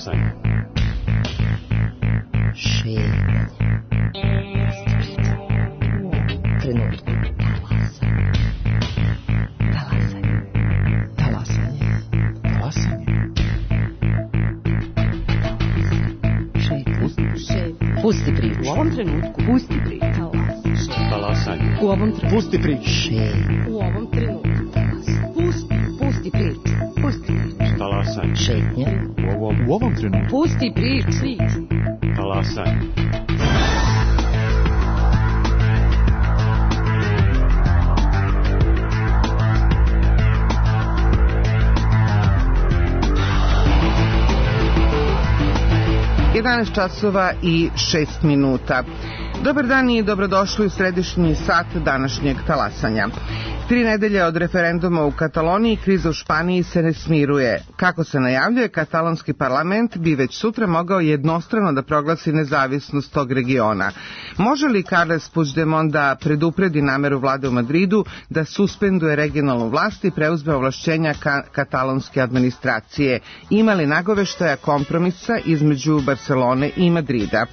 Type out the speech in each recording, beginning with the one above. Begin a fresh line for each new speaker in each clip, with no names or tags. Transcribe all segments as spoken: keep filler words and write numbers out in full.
Talasanje.
Šetnje. Trenutku. Talasanje. Talasanje.
Talasanje.
Pusti priču.
U ovom trenutku.
Pusti priču.
Talasanje.
U ovom trenutku.
Pusti priču.
U ovom trenutku. Pusti, pusti priču. Pusti priču.
Talasanje.
Šetnje.
U ovom, u ovom trenutku.
Pusti priču.
Talasanje.
jedanaest časova i šest minuta. Dobar dan i dobrodošli u središnji sat današnjeg talasanja. Tri nedelje od referenduma u Kataloniji, kriza u Španiji se ne smiruje. Kako se najavljuje, katalonski parlament bi već sutra mogao jednostrano da proglasi nezavisnost tog regiona. Može li Carles Puigdemont da predupredi nameru vlade u Madridu da suspenduje regionalnu vlast i preuzme ovlašćenja ka- katalonske administracije? Ima li nagoveštaja kompromisa između Barcelone i Madrida?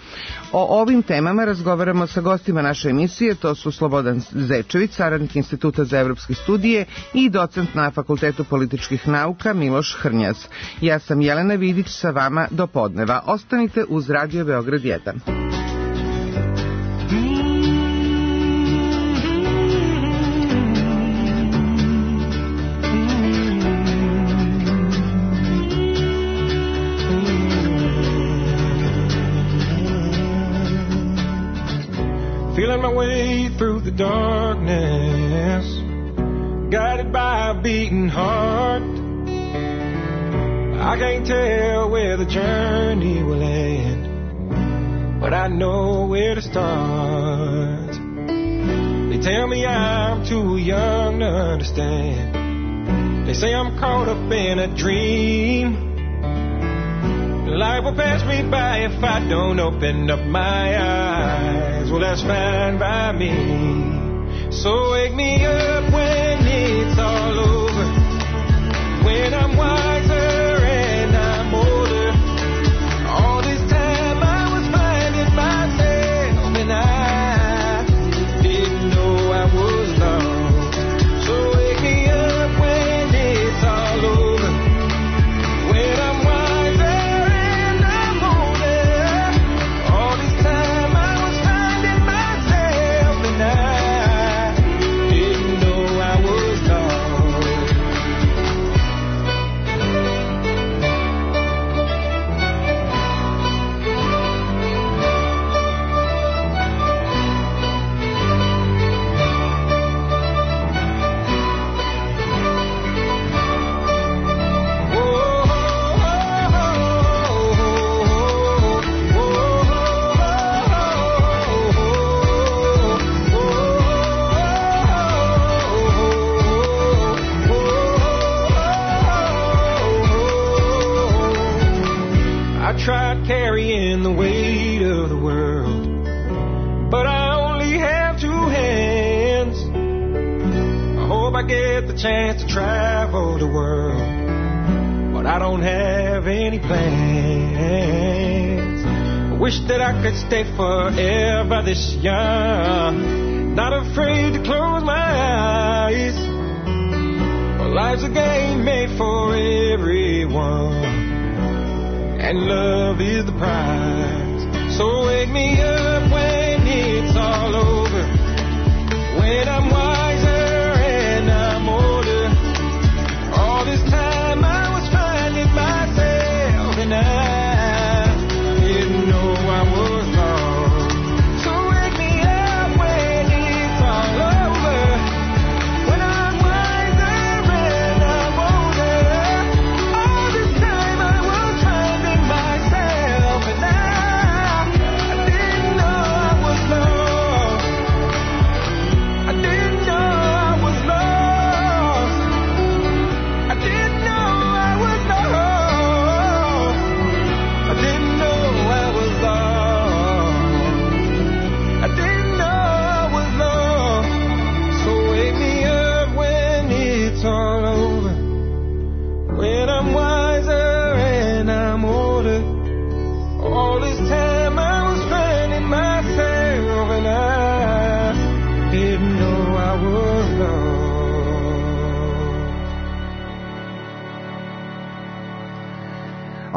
O ovim temama razgovaramo sa gostima naše emisije, to su Slobodan Zečević, saradnik Instituta za evropske studije i docent na Fakultetu političkih nauka Miloš Hrnjaz. Ja sam Jelena Vidić, sa vama do podneva. Ostanite uz Radio Beograd jedan.
Feeling my way through the darkness, guided by a beating heart. I can't tell where the journey will end, but I know where to start. They tell me I'm too young to understand. They say I'm caught up in a dream. Life will pass me by if I don't open up my eyes. Well, that's fine by me. So wake me up when it's all over, when I'm wiser and I'm older. All this time I was finding myself and I didn't know I was lost. So wake me up when it's all over, when I'm tried carrying the weight of the world, but I only have two hands. I hope I get the chance to travel the world, but I don't have any plans. I wish that I could stay forever this young, not afraid to close my eyes. Well, life's a game made for everyone, and love is the prize. So wake me up when it's all over, when I'm wiser and I'm older. All this time I was finding myself and I didn't know I was lost. So wake me up when it's all over, when I'm wiser and I'm older. All this time I was finding myself and I, I didn't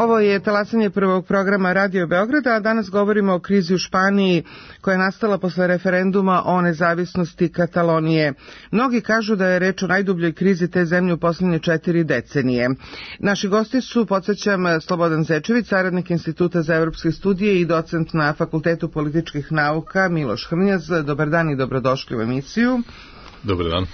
Ovo je talasanje prvog programa Radio Beograda, a danas govorimo o krizi u Španiji koja je nastala posle referenduma o nezavisnosti Katalonije. Mnogi kažu da je reč o najdubljoj krizi te zemlje u poslednje četiri decenije. Naši gosti su, podsjećam, Slobodan Zečević, saradnik Instituta za evropske studije i docent na Fakultetu političkih nauka, Miloš Hrnjaz. Dobar dan i dobrodošli u emisiju.
Dobar dan.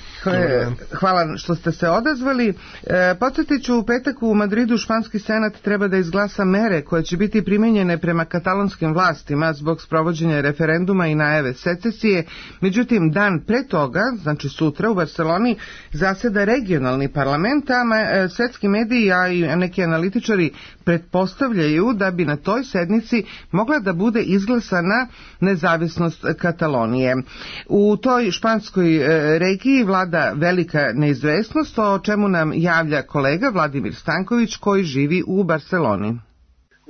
Hvala što ste se odazvali. E, podsjetit ću, u petak u Madridu španski senat treba da izglasa mere koje će biti primenjene prema katalonskim vlastima zbog sprovođenja referenduma i najave secesije. Međutim, dan pre toga, znači sutra u Barceloni, zaseda regionalni parlament, a svetski mediji, a i neki analitičari pretpostavljaju da bi na toj sednici mogla da bude izglasana nezavisnost Katalonije. U toj španskoj regiji vlada velika neizvesnost, o čemu nam javlja kolega Vladimir Stanković koji živi u Barceloni.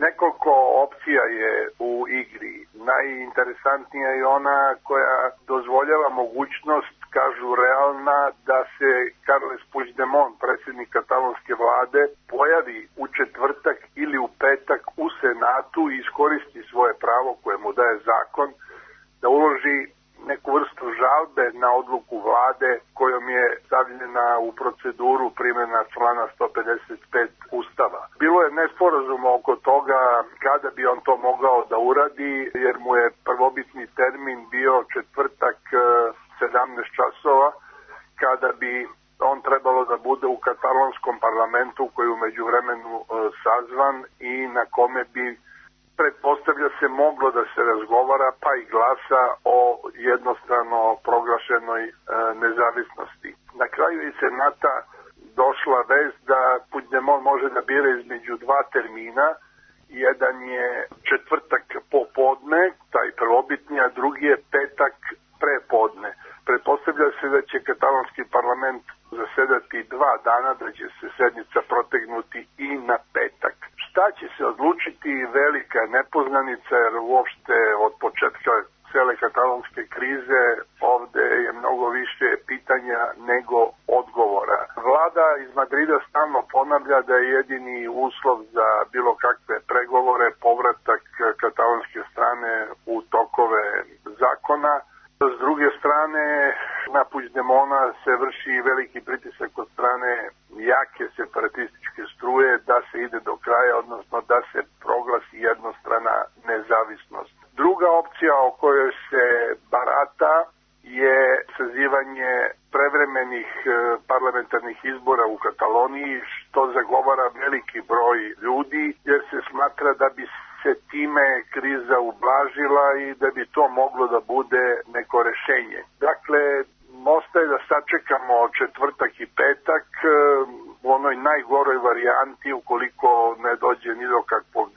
Nekoliko opcija je u igri. Najinteresantnija je ona koja dozvoljava mogućnost, kažu realna, da se Carles Puigdemont, predsjednik katalonske vlade, pojavi u četvrtak ili u petak u Senatu i iskoristi svoje pravo koje mu daje zakon da uloži neku vrstu žalbe na odluku vlade kojom je stavljena u proceduru primjena člana sto pedeset pet Ustava. Bilo je nesporazuma oko toga kada bi on to mogao da uradi, jer mu je prvobitni termin bio četvrtak sedamnaest časova, kada bi on trebalo da bude u katalonskom parlamentu koji je u međuvremenu sazvan i na kome bi, pretpostavlja se, moglo da se razgovara pa i glasa o jednostrano proglašenoj e, nezavisnosti. Na kraju iz Senata došla vest da Puigdemont može da bira između dva termina. Jedan je četvrtak popodne, taj prvobitni, a drugi je petak prepodne. Pretpostavlja se da će katalonski parlament zasedati dva dana, da će se sednica protegnuti i na petak. Šta će se odlučiti, velika nepoznanica, jer uopšte od početka cele katalonske krize ovde je mnogo više pitanja nego odgovora. Vlada iz Madrida stalno ponavlja da je jedini uslov za bilo kakve pregovore povratak katalonske strane u tokove zakona. S druge strane, na Puigdemona se vrši veliki pritisak od strane jake separatističke struje da se ide do kraja, odnosno da se proglasi jednostrana nezavisnost. Druga opcija o kojoj se barata je sazivanje prevremenih parlamentarnih izbora u Kataloniji, što zagovara veliki broj ljudi, jer se smatra da bi se time kriza ublažila i da bi to moglo da bude neko rešenje. Dakle, ostaje da sačekamo četvrtak i petak u onoj najgoroj varijanti, ukoliko ne dođe ni do kakvog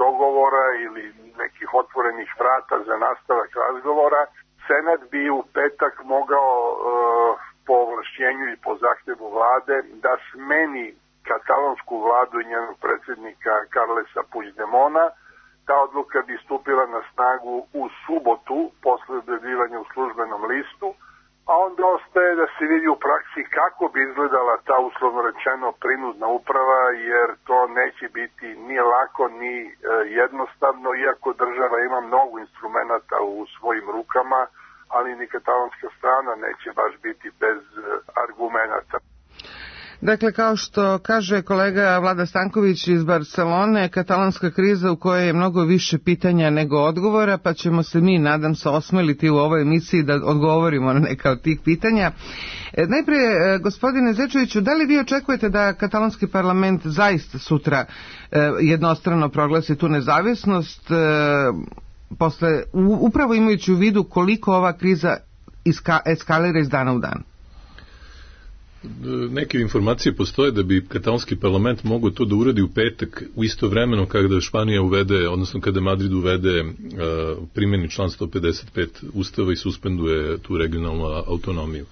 dogovora ili nekih otvorenih vrata za nastavak razgovora. Senat bi u petak mogao po ovlašćenju i po zahtevu vlade da smeni katalonsku vladu i njenog predsjednika Carlesa Puigdemona. Ta odluka bi stupila na snagu u subotu posle objavljivanja u službenom listu, a onda ostaje da se vidi u praksi kako bi izgledala ta, uslovno rečeno, prinudna uprava, jer to neće biti ni lako ni e, jednostavno, iako država ima mnogo instrumenata u svojim rukama, ali ni katalonska strana neće baš biti bez e, argumenata.
Dakle, kao što kaže kolega Vlada Stanković iz Barcelone, katalonska kriza u kojoj je mnogo više pitanja nego odgovora, pa ćemo se mi, nadam se, osmeliti u ovoj emisiji da odgovorimo na neka od tih pitanja. E, najprije, gospodine Zečeviću, da li vi očekujete da katalonski parlament zaista sutra e, jednostrano proglasi tu nezavisnost, e, posle, u, upravo imajući u vidu koliko ova kriza iska, eskalira iz dana u dan?
Neke informacije postoje da bi katalonski parlament mogao to da uradi u petak, u isto vremeno kada Španija uvede, odnosno kada Madrid uvede uh, primjeni član sto pedeset pet Ustava i suspenduje tu regionalnu autonomiju.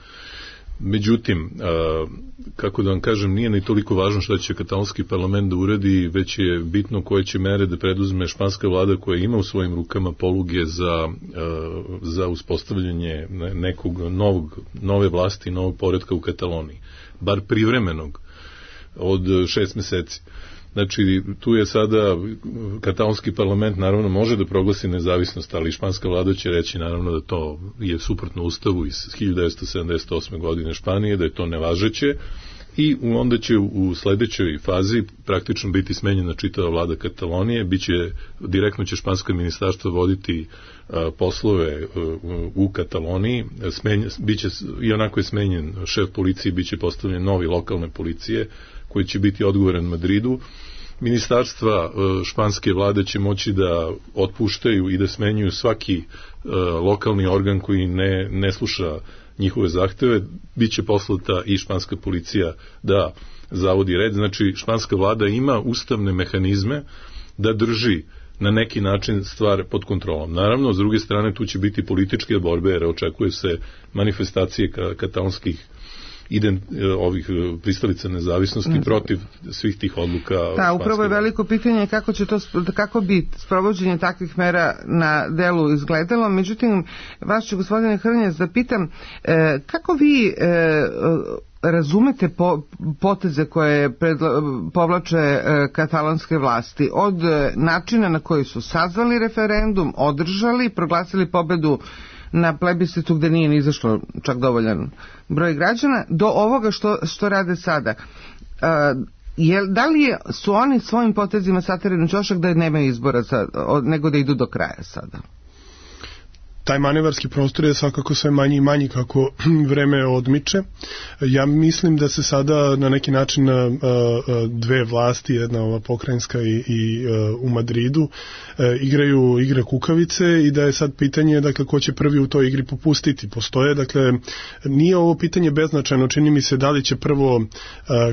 Međutim, kako da vam kažem, nije ni toliko važno šta će katalonski parlament da uradi, već je bitno koje će mere da preduzme španska vlada koja ima u svojim rukama poluge za, za uspostavljanje nekog novog, nove vlasti, novog poretka u Kataloniji, bar privremenog, od šest meseci. Znači, tu je sada katalonski parlament naravno može da proglasi nezavisnost, ali španska vlada će reći naravno da to je suprotno ustavu iz hiljadu devetsto sedamdeset osme godine Španije, da je to nevažeće i onda će u sledećoj fazi praktično biti smenjena čitava vlada Katalonije, biće, direktno će špansko ministarstvo voditi a, poslove a, u Kataloniji, smenja, biće, i onako je smenjen šef policije, biće postavljen novi lokalne policije koji će biti odgovoran Madridu. Ministarstva španske vlade će moći da otpuštaju i da smenjuju svaki uh, lokalni organ koji ne, ne sluša njihove zahteve. Biće poslata i španska policija da zavodi red. Znači, španska vlada ima ustavne mehanizme da drži na neki način stvar pod kontrolom. Naravno, s druge strane, tu će biti političke borbe, jer očekuje se manifestacije ka, katalonskih ident, ovih pristalica nezavisnosti protiv svih tih odluka.
Da, upravo je veliko pitanje kako će to, kako bi sprovođenje takvih mera na delu izgledalo. Međutim, vas ću, gospodine Hrnjac, da pitam, e, kako vi e, razumete po, poteze koje predla, povlače e, katalonske vlasti od e, načina na koji su sazvali referendum, održali, proglasili pobedu na plebiscitu gde nije ni izašlo čak dovoljan broj građana, do ovoga što, što rade sada. Uh, je, da li je, su oni svojim potezima saterili na ćošak da nemaju izbora sad, nego da idu do kraja sada?
Taj manevarski prostor je svakako sve manji i manji kako vreme odmiče. Ja mislim da se sada na neki način dve vlasti, jedna ova pokrajinska i, i u Madridu, igraju igre kukavice i da je sad pitanje, dakle, ko će prvi u toj igri popustiti. Postoje, dakle, nije ovo pitanje beznačajno, čini mi se da li će prvo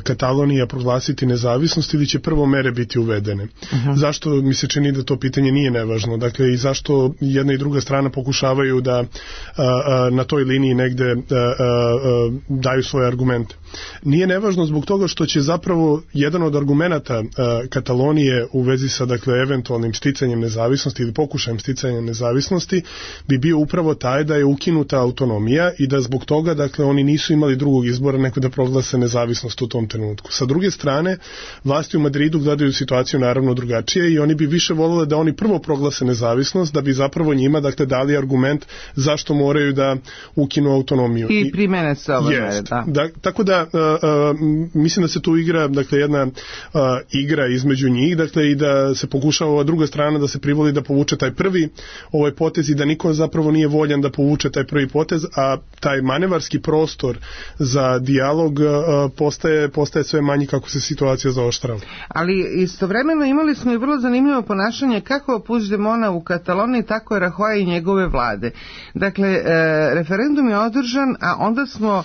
Katalonija proglasiti nezavisnost ili će prvo mere biti uvedene. Uh-huh. Zašto mi se čini da to pitanje nije nevažno? Dakle, i zašto jedna i druga strana pokušava da a, a, na toj liniji negde a, a, a, daju svoje argumente. Nije nevažno zbog toga što će zapravo jedan od argumenata a, Katalonije u vezi sa, dakle, eventualnim sticanjem nezavisnosti ili pokušajem sticanja nezavisnosti bi bio upravo taj da je ukinuta autonomija i da zbog toga, dakle, oni nisu imali drugog izbora nego da proglase nezavisnost u tom trenutku. Sa druge strane, vlasti u Madridu gledaju situaciju naravno drugačije i oni bi više volele da oni prvo proglase nezavisnost da bi zapravo njima, dakle, dali argument zašto moraju da ukinu autonomiju.
I primene se ove mere, da.
da. Tako da, uh, uh, mislim da se tu igra, dakle, jedna uh, igra između njih, dakle, i da se pokušava ova druga strana da se privoli da povuče taj prvi ovaj potez i da niko zapravo nije voljan da povuče taj prvi potez, a taj manevarski prostor za dijalog uh, postaje, postaje sve manji kako se situacija zaoštrava.
Ali istovremeno imali smo i vrlo zanimljivo ponašanje kako Puigdemona u Kataloniji, tako je Rajoy i njegove vlade. Dakle, e, referendum je održan, a onda smo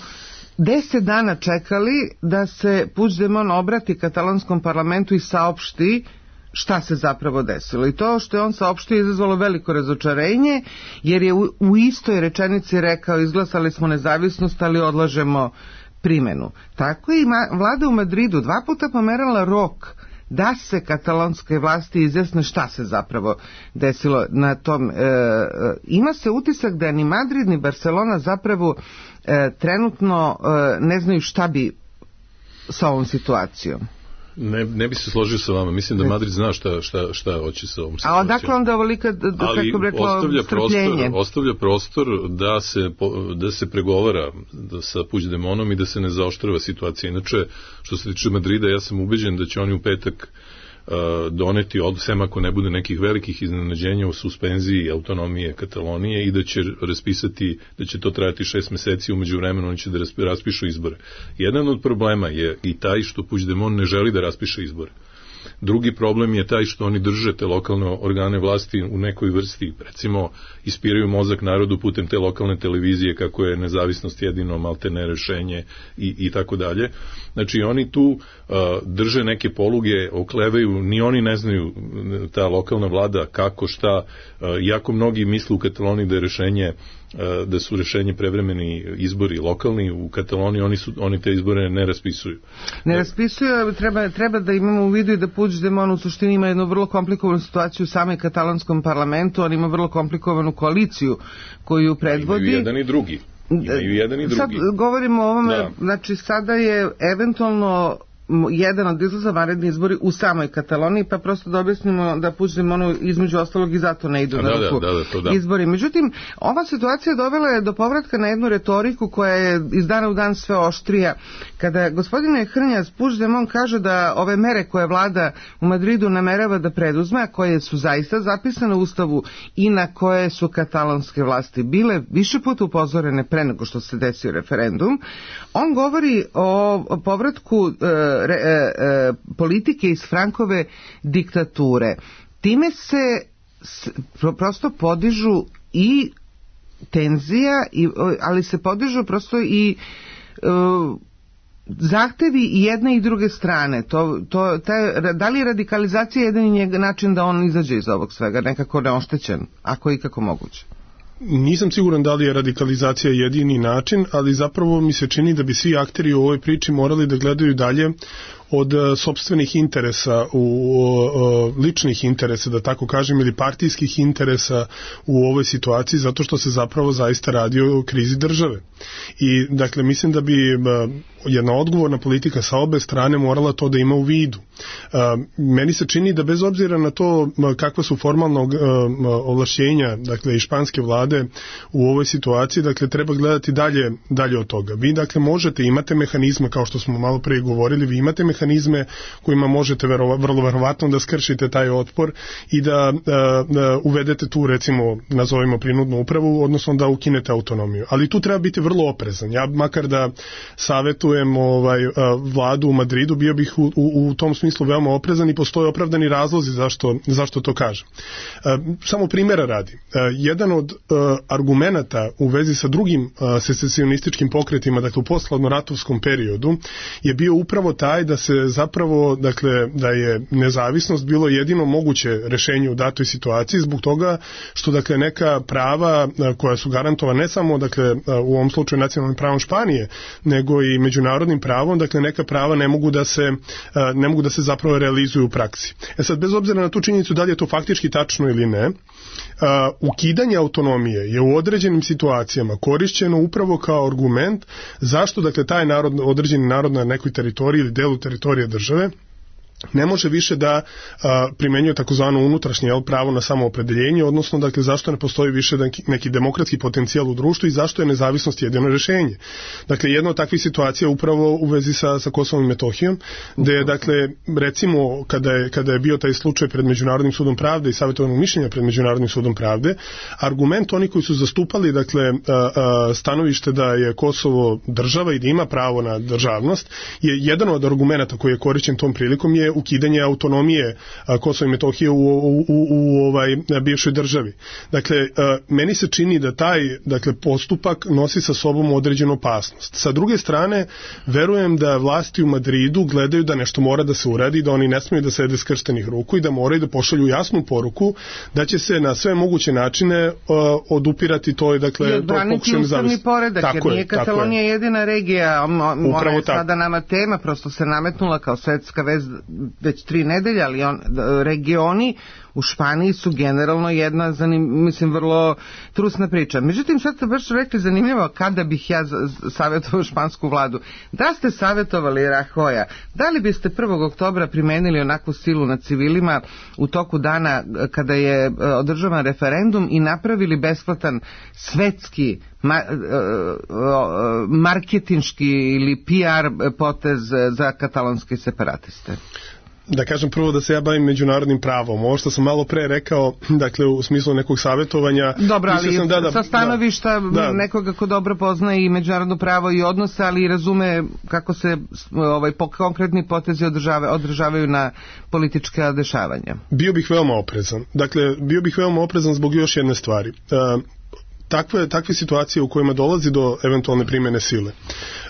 deset dana čekali da se Puigdemont obrati katalonskom parlamentu i saopšti šta se zapravo desilo. I to što je on saopštio izazvalo veliko razočarenje, jer je u, u istoj rečenici rekao izglasali smo nezavisnost, ali odlažemo primenu. Tako je i ma, vlada u Madridu dva puta pomerala rok da se katalonske vlasti izjasne šta se zapravo desilo na tom. E, ima se utisak da ni Madrid ni Barcelona zapravo e, trenutno e, ne znaju šta bi sa ovom situacijom.
Ne, ne bi se složio sa vama. Mislim da Madrid zna šta, šta, šta hoće sa ovom situacijom.
A odakle onda ovolika, kako bi reklo,
ostavlja
strpljenje?
Prostor, ostavlja prostor da se, da se pregovara da sa Puigdemontom i da se ne zaoštrava situacija. Inače, što se tiče Madrida, ja sam ubeđen da će oni u petak uh, doneti, od, sem ako ne bude nekih velikih iznenađenja u suspenziji autonomije Katalonije i da će raspisati, da će to trajati šest meseci, umeđu vremenu oni će da raspišu izbore. Jedan od problema je i taj što Puigdemont ne želi da raspiše izbore. Drugi problem je taj što oni drže te lokalne organe vlasti u nekoj vrsti, recimo ispiraju mozak narodu putem te lokalne televizije kako je nezavisnost jedino maltene rešenje i, i tako dalje. Znači oni tu uh, drže neke poluge, oklevaju, ni oni ne znaju, ta lokalna vlada kako, šta, uh, jako mnogi misle u Kataloniji da je rešenje da su rešenje prevremeni izbori lokalni u Kataloniji, oni su oni te izbore ne raspisuju.
Ne raspisuju, treba treba da imamo u vidu i da Puigdemont u suštini ima jednu vrlo komplikovanu situaciju u samom katalonskom parlamentu, on ima vrlo komplikovanu koaliciju koju predvodi.
Imaju jedan i drugi. Imaju jedan i drugi.
Sad govorimo o ovome,
da.
Znači sada je eventualno jedan od izlaza vanredni izbori u samoj Kataloniji, pa prosto da objasnimo da Puigdemont između ostalog i zato ne idu
A,
na
da,
ruku
da, da, to da.
izbori. Međutim, ova situacija dovela je do povratka na jednu retoriku koja je iz dana u dan sve oštrija. Kada gospodine Hrnjas, Puigdemont kaže da ove mere koje vlada u Madridu namerava da preduzme, a koje su zaista zapisane u Ustavu i na koje su katalonske vlasti bile više puta upozorene pre nego što se desio referendum, on govori o povratku e, re, e, politike iz Frankove diktature. Time se s, prosto podižu i tenzija, i, ali se podižu prosto i e, zahtevi i jedne i druge strane. To, to, taj, da li je radikalizacija jedan način da on izađe iz ovog svega, nekako neoštećen, ako je ikako moguće?
Nisam siguran da li je radikalizacija jedini način, ali zapravo mi se čini da bi svi akteri u ovoj priči morali da gledaju dalje od sopstvenih interesa, u, u ličnih interesa, da tako kažem, ili partijskih interesa u ovoj situaciji, zato što se zapravo zaista radi o krizi države. I dakle, mislim da bi jedna odgovorna politika sa obe strane morala to da ima u vidu. Meni se čini da bez obzira na to kakva su formalna ovlašćenja, dakle, i španske vlade u ovoj situaciji, dakle, treba gledati dalje, dalje od toga. Vi, dakle, možete, imate mehanizme, kao što smo malo pre govorili, vi imate mehanizme kojima možete vero, vrlo verovatno da skršite taj otpor i da, da, da uvedete tu, recimo, nazovimo prinudnu upravu, odnosno da ukinete autonomiju. Ali tu treba biti vrlo oprezan. Ja makar da savetujem ovaj, vladu u Madridu, bio bih u, u, u tom smislu veoma oprezan i postoje opravdani razlozi zašto, zašto to kažem. Samo primjera radi. Jedan od argumenata u vezi sa drugim secesionističkim pokretima, dakle u posthladnoratovskom periodu, je bio upravo taj da se zapravo, dakle, da je nezavisnost bilo jedino moguće rešenje u datoj situaciji, zbog toga što, dakle, neka prava koja su garantovana ne samo, dakle, u ovom slučaju nacionalnim pravom Španije, nego i međunarodnim pravom, dakle, neka prava ne mogu da se, ne mogu da se zapravo realizuju u praksi. E sad, bez obzira na tu činjenicu da li je to faktički tačno ili ne, Uh, ukidanje autonomije je u određenim situacijama korišćeno upravo kao argument zašto, dakle, taj narod, određeni narod na nekoj teritoriji ili delu teritorije države ne može više da a, primenjuje takozvano unutrašnje jel, pravo na samoopredeljenje, odnosno, dakle, zašto ne postoji više neki, neki demokratski potencijal u društvu i zašto je nezavisnost jedino rešenje. Dakle, jedna od takvih situacija upravo u vezi sa, sa Kosovom i Metohijom, gde je, dakle, recimo, kada je, kada je bio taj slučaj pred Međunarodnim sudom pravde i savjetovanog mišljenja pred Međunarodnim sudom pravde, argument oni koji su zastupali, dakle, a, a, stanovište da je Kosovo država i da ima pravo na državnost, je jedan od argumenta koji je korišćen tom prilikom je ukidanje autonomije Kosova i Metohije u, u, u, u ovaj bivšoj državi. Dakle, meni se čini da taj, dakle, postupak nosi sa sobom određenu opasnost. Sa druge strane, verujem da vlasti u Madridu gledaju da nešto mora da se uradi, da oni ne smiju da sede skrštenih ruku i da moraju da pošalju jasnu poruku da će se na sve moguće načine uh, odupirati to, dakle,
i odbraniti ustavni poredak, tako jer nije Katalonija jedina regija, ona je sada nama tema, prosto se nametnula kao svetska vez već tri nedelje, ali on, regioni u Španiji su generalno jedna, zanim, mislim, vrlo trusna priča. Međutim, sad ste baš rekli zanimljivo kada bih ja savjetovao špansku vladu. Da ste savjetovali Rajoja, da li biste prvog oktobra primenili onakvu silu nad civilima u toku dana kada je održavan referendum i napravili besplatan svetski ma, marketinški ili P R potez za katalonske separatiste?
Da kažem prvo da se ja bavim međunarodnim pravom. Ovo što sam malo pre rekao, dakle, u smislu nekog savjetovanja...
Dobro, ali
sam, da, da,
sa stanovišta
da, da.
nekoga ko dobro poznaje i međunarodno pravo i odnose, ali i razume kako se ovaj, konkretni potezi održavaju, održavaju na politička dešavanja.
Bio bih veoma oprezan. Dakle, bio bih veoma oprezan zbog još jedne stvari. Uh, Takve, takve situacije u kojima dolazi do eventualne primjene sile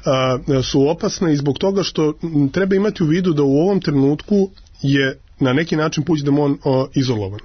a, su opasne i zbog toga što treba imati u vidu da u ovom trenutku je na neki način Puigdemont izolovan.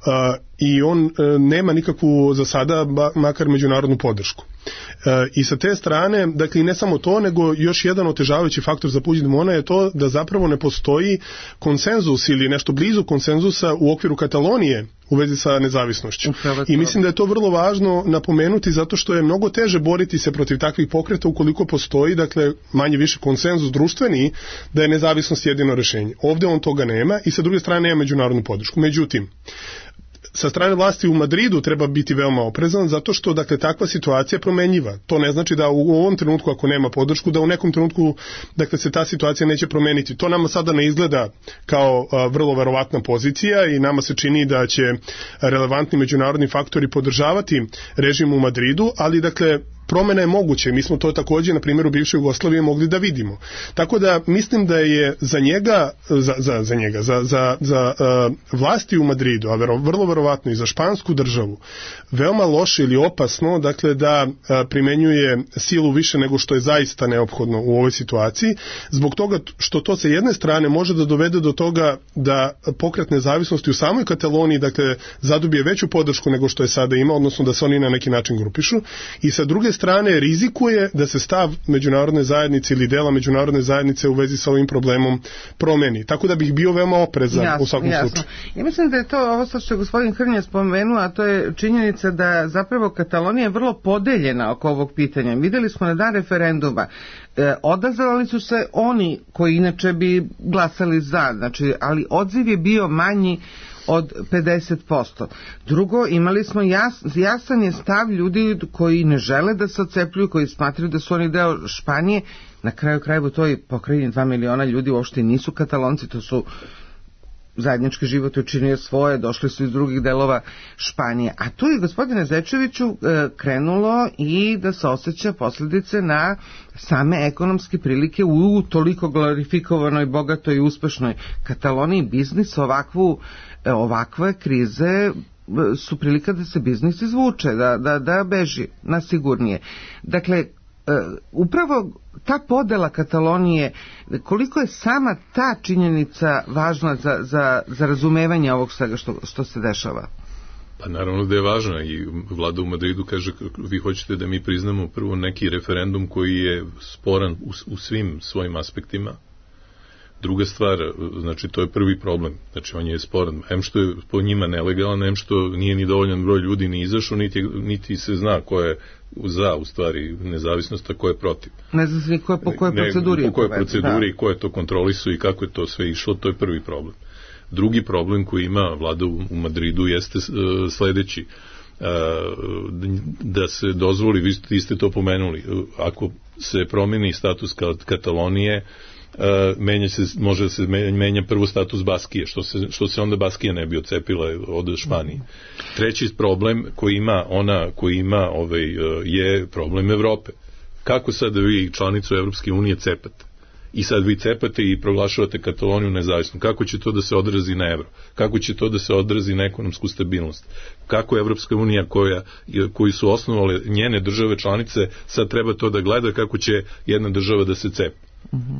A, i on e, nema nikakvu za sada ba, makar međunarodnu podršku. E, I sa te strane, dakle, ne samo to, nego još jedan otežavajući faktor za Puigdemona je to da zapravo ne postoji konsenzus ili nešto blizu konsenzusa u okviru Katalonije u vezi sa nezavisnošću. I mislim da je to vrlo važno napomenuti zato što je mnogo teže boriti se protiv takvih pokreta ukoliko postoji, dakle, manje više konsenzus društveni da je nezavisnost jedino rešenje. Ovde on toga nema i sa druge strane nema međunarodnu podršku. Međutim, sa strane vlasti u Madridu treba biti veoma oprezan zato što, dakle, takva situacija je promenljiva. To ne znači da u ovom trenutku ako nema podršku, da u nekom trenutku, dakle, se ta situacija neće promeniti. To nama sada ne izgleda kao a, vrlo verovatna pozicija i nama se čini da će relevantni međunarodni faktori podržavati režim u Madridu, ali, dakle, promjena je moguće. Mi smo to također na primjeru bivše Jugoslavije mogli da vidimo. Tako da mislim da je za njega, za, za, za njega, za, za, za uh, vlasti u Madridu, a vero, vrlo verovatno i za špansku državu, veoma loše ili opasno, dakle, da uh, primenjuje silu više nego što je zaista neophodno u ovoj situaciji, zbog toga što to sa jedne strane može da dovede do toga da pokret nezavisnosti u samoj Kataloniji, dakle, zadobije veću podršku nego što je sada ima, odnosno da se oni na neki način grupišu, i sa druge strane rizikuje da se stav međunarodne zajednice ili dela međunarodne zajednice u vezi sa ovim problemom promeni. Tako da bih bio veoma oprezan jasno, u svakom jasno. slučaju.
Ja mislim da je to ovo što je gospodin Hrnja spomenuo, a to je činjenica da zapravo Katalonija je vrlo podeljena oko ovog pitanja. Videli smo na dan referenduma. E, odazvali su se oni koji inače bi glasali za, znači, ali odziv je bio manji od pedeset posto. Drugo, imali smo jas, jasan je stav ljudi koji ne žele da se odcepljuju, koji smatraju da su oni deo Španije. Na kraju krajeva u toj pokrajini dva miliona ljudi uopšte nisu Katalonci, to su zajednički život učinio svoje, došli su iz drugih delova Španije. A tu je, gospodine Zečeviću, krenulo i da se osjeća posljedice na same ekonomske prilike u toliko glorifikovanoj, bogatoj i uspešnoj Kataloniji. Biznis ovakvu, ovakve krize su prilika da se biznis izvuče, da, da, da beži na sigurnije. Dakle, upravo ta podela Katalonije, koliko je sama ta činjenica važna za, za, za razumevanje ovog svega što, što se dešava?
Pa naravno da je važna i vlada u Madridu kaže, vi hoćete da mi priznamo prvo neki referendum koji je sporan u, u svim svojim aspektima. Druga stvar, znači to je prvi problem, znači on je sporan, em što je po njima nelegalan, em što nije ni dovoljan broj ljudi ni izašao, niti, niti se zna ko je za, u stvari, nezavisnost, a ko je protiv.
Ne zna se ko je, po kojoj proceduri.
Ne, po kojoj proceduri i ko je to kontrolisao i kako je to sve išlo, to je prvi problem. Drugi problem koji ima vlada u, u Madridu jeste uh, sledeći, uh, da se dozvoli, vi ste, vi ste to pomenuli, uh, ako se promeni status Katalonije, Uh, menja se, može da se menja prvo status Baskije, što se, što se onda Baskija ne bi odcepila od Španije. Treći problem koji ima ona koji ima ovaj, je problem Evrope. Kako sad vi članicu Evropske unije cepate? I sad vi cepate i proglašavate Kataloniju nezavisnom. Kako će to da se odrazi na evro? Kako će to da se odrazi na ekonomsku stabilnost? Kako Evropska unija koja, koju su osnovale njene države članice sad treba to da gleda kako će jedna država da se cepa?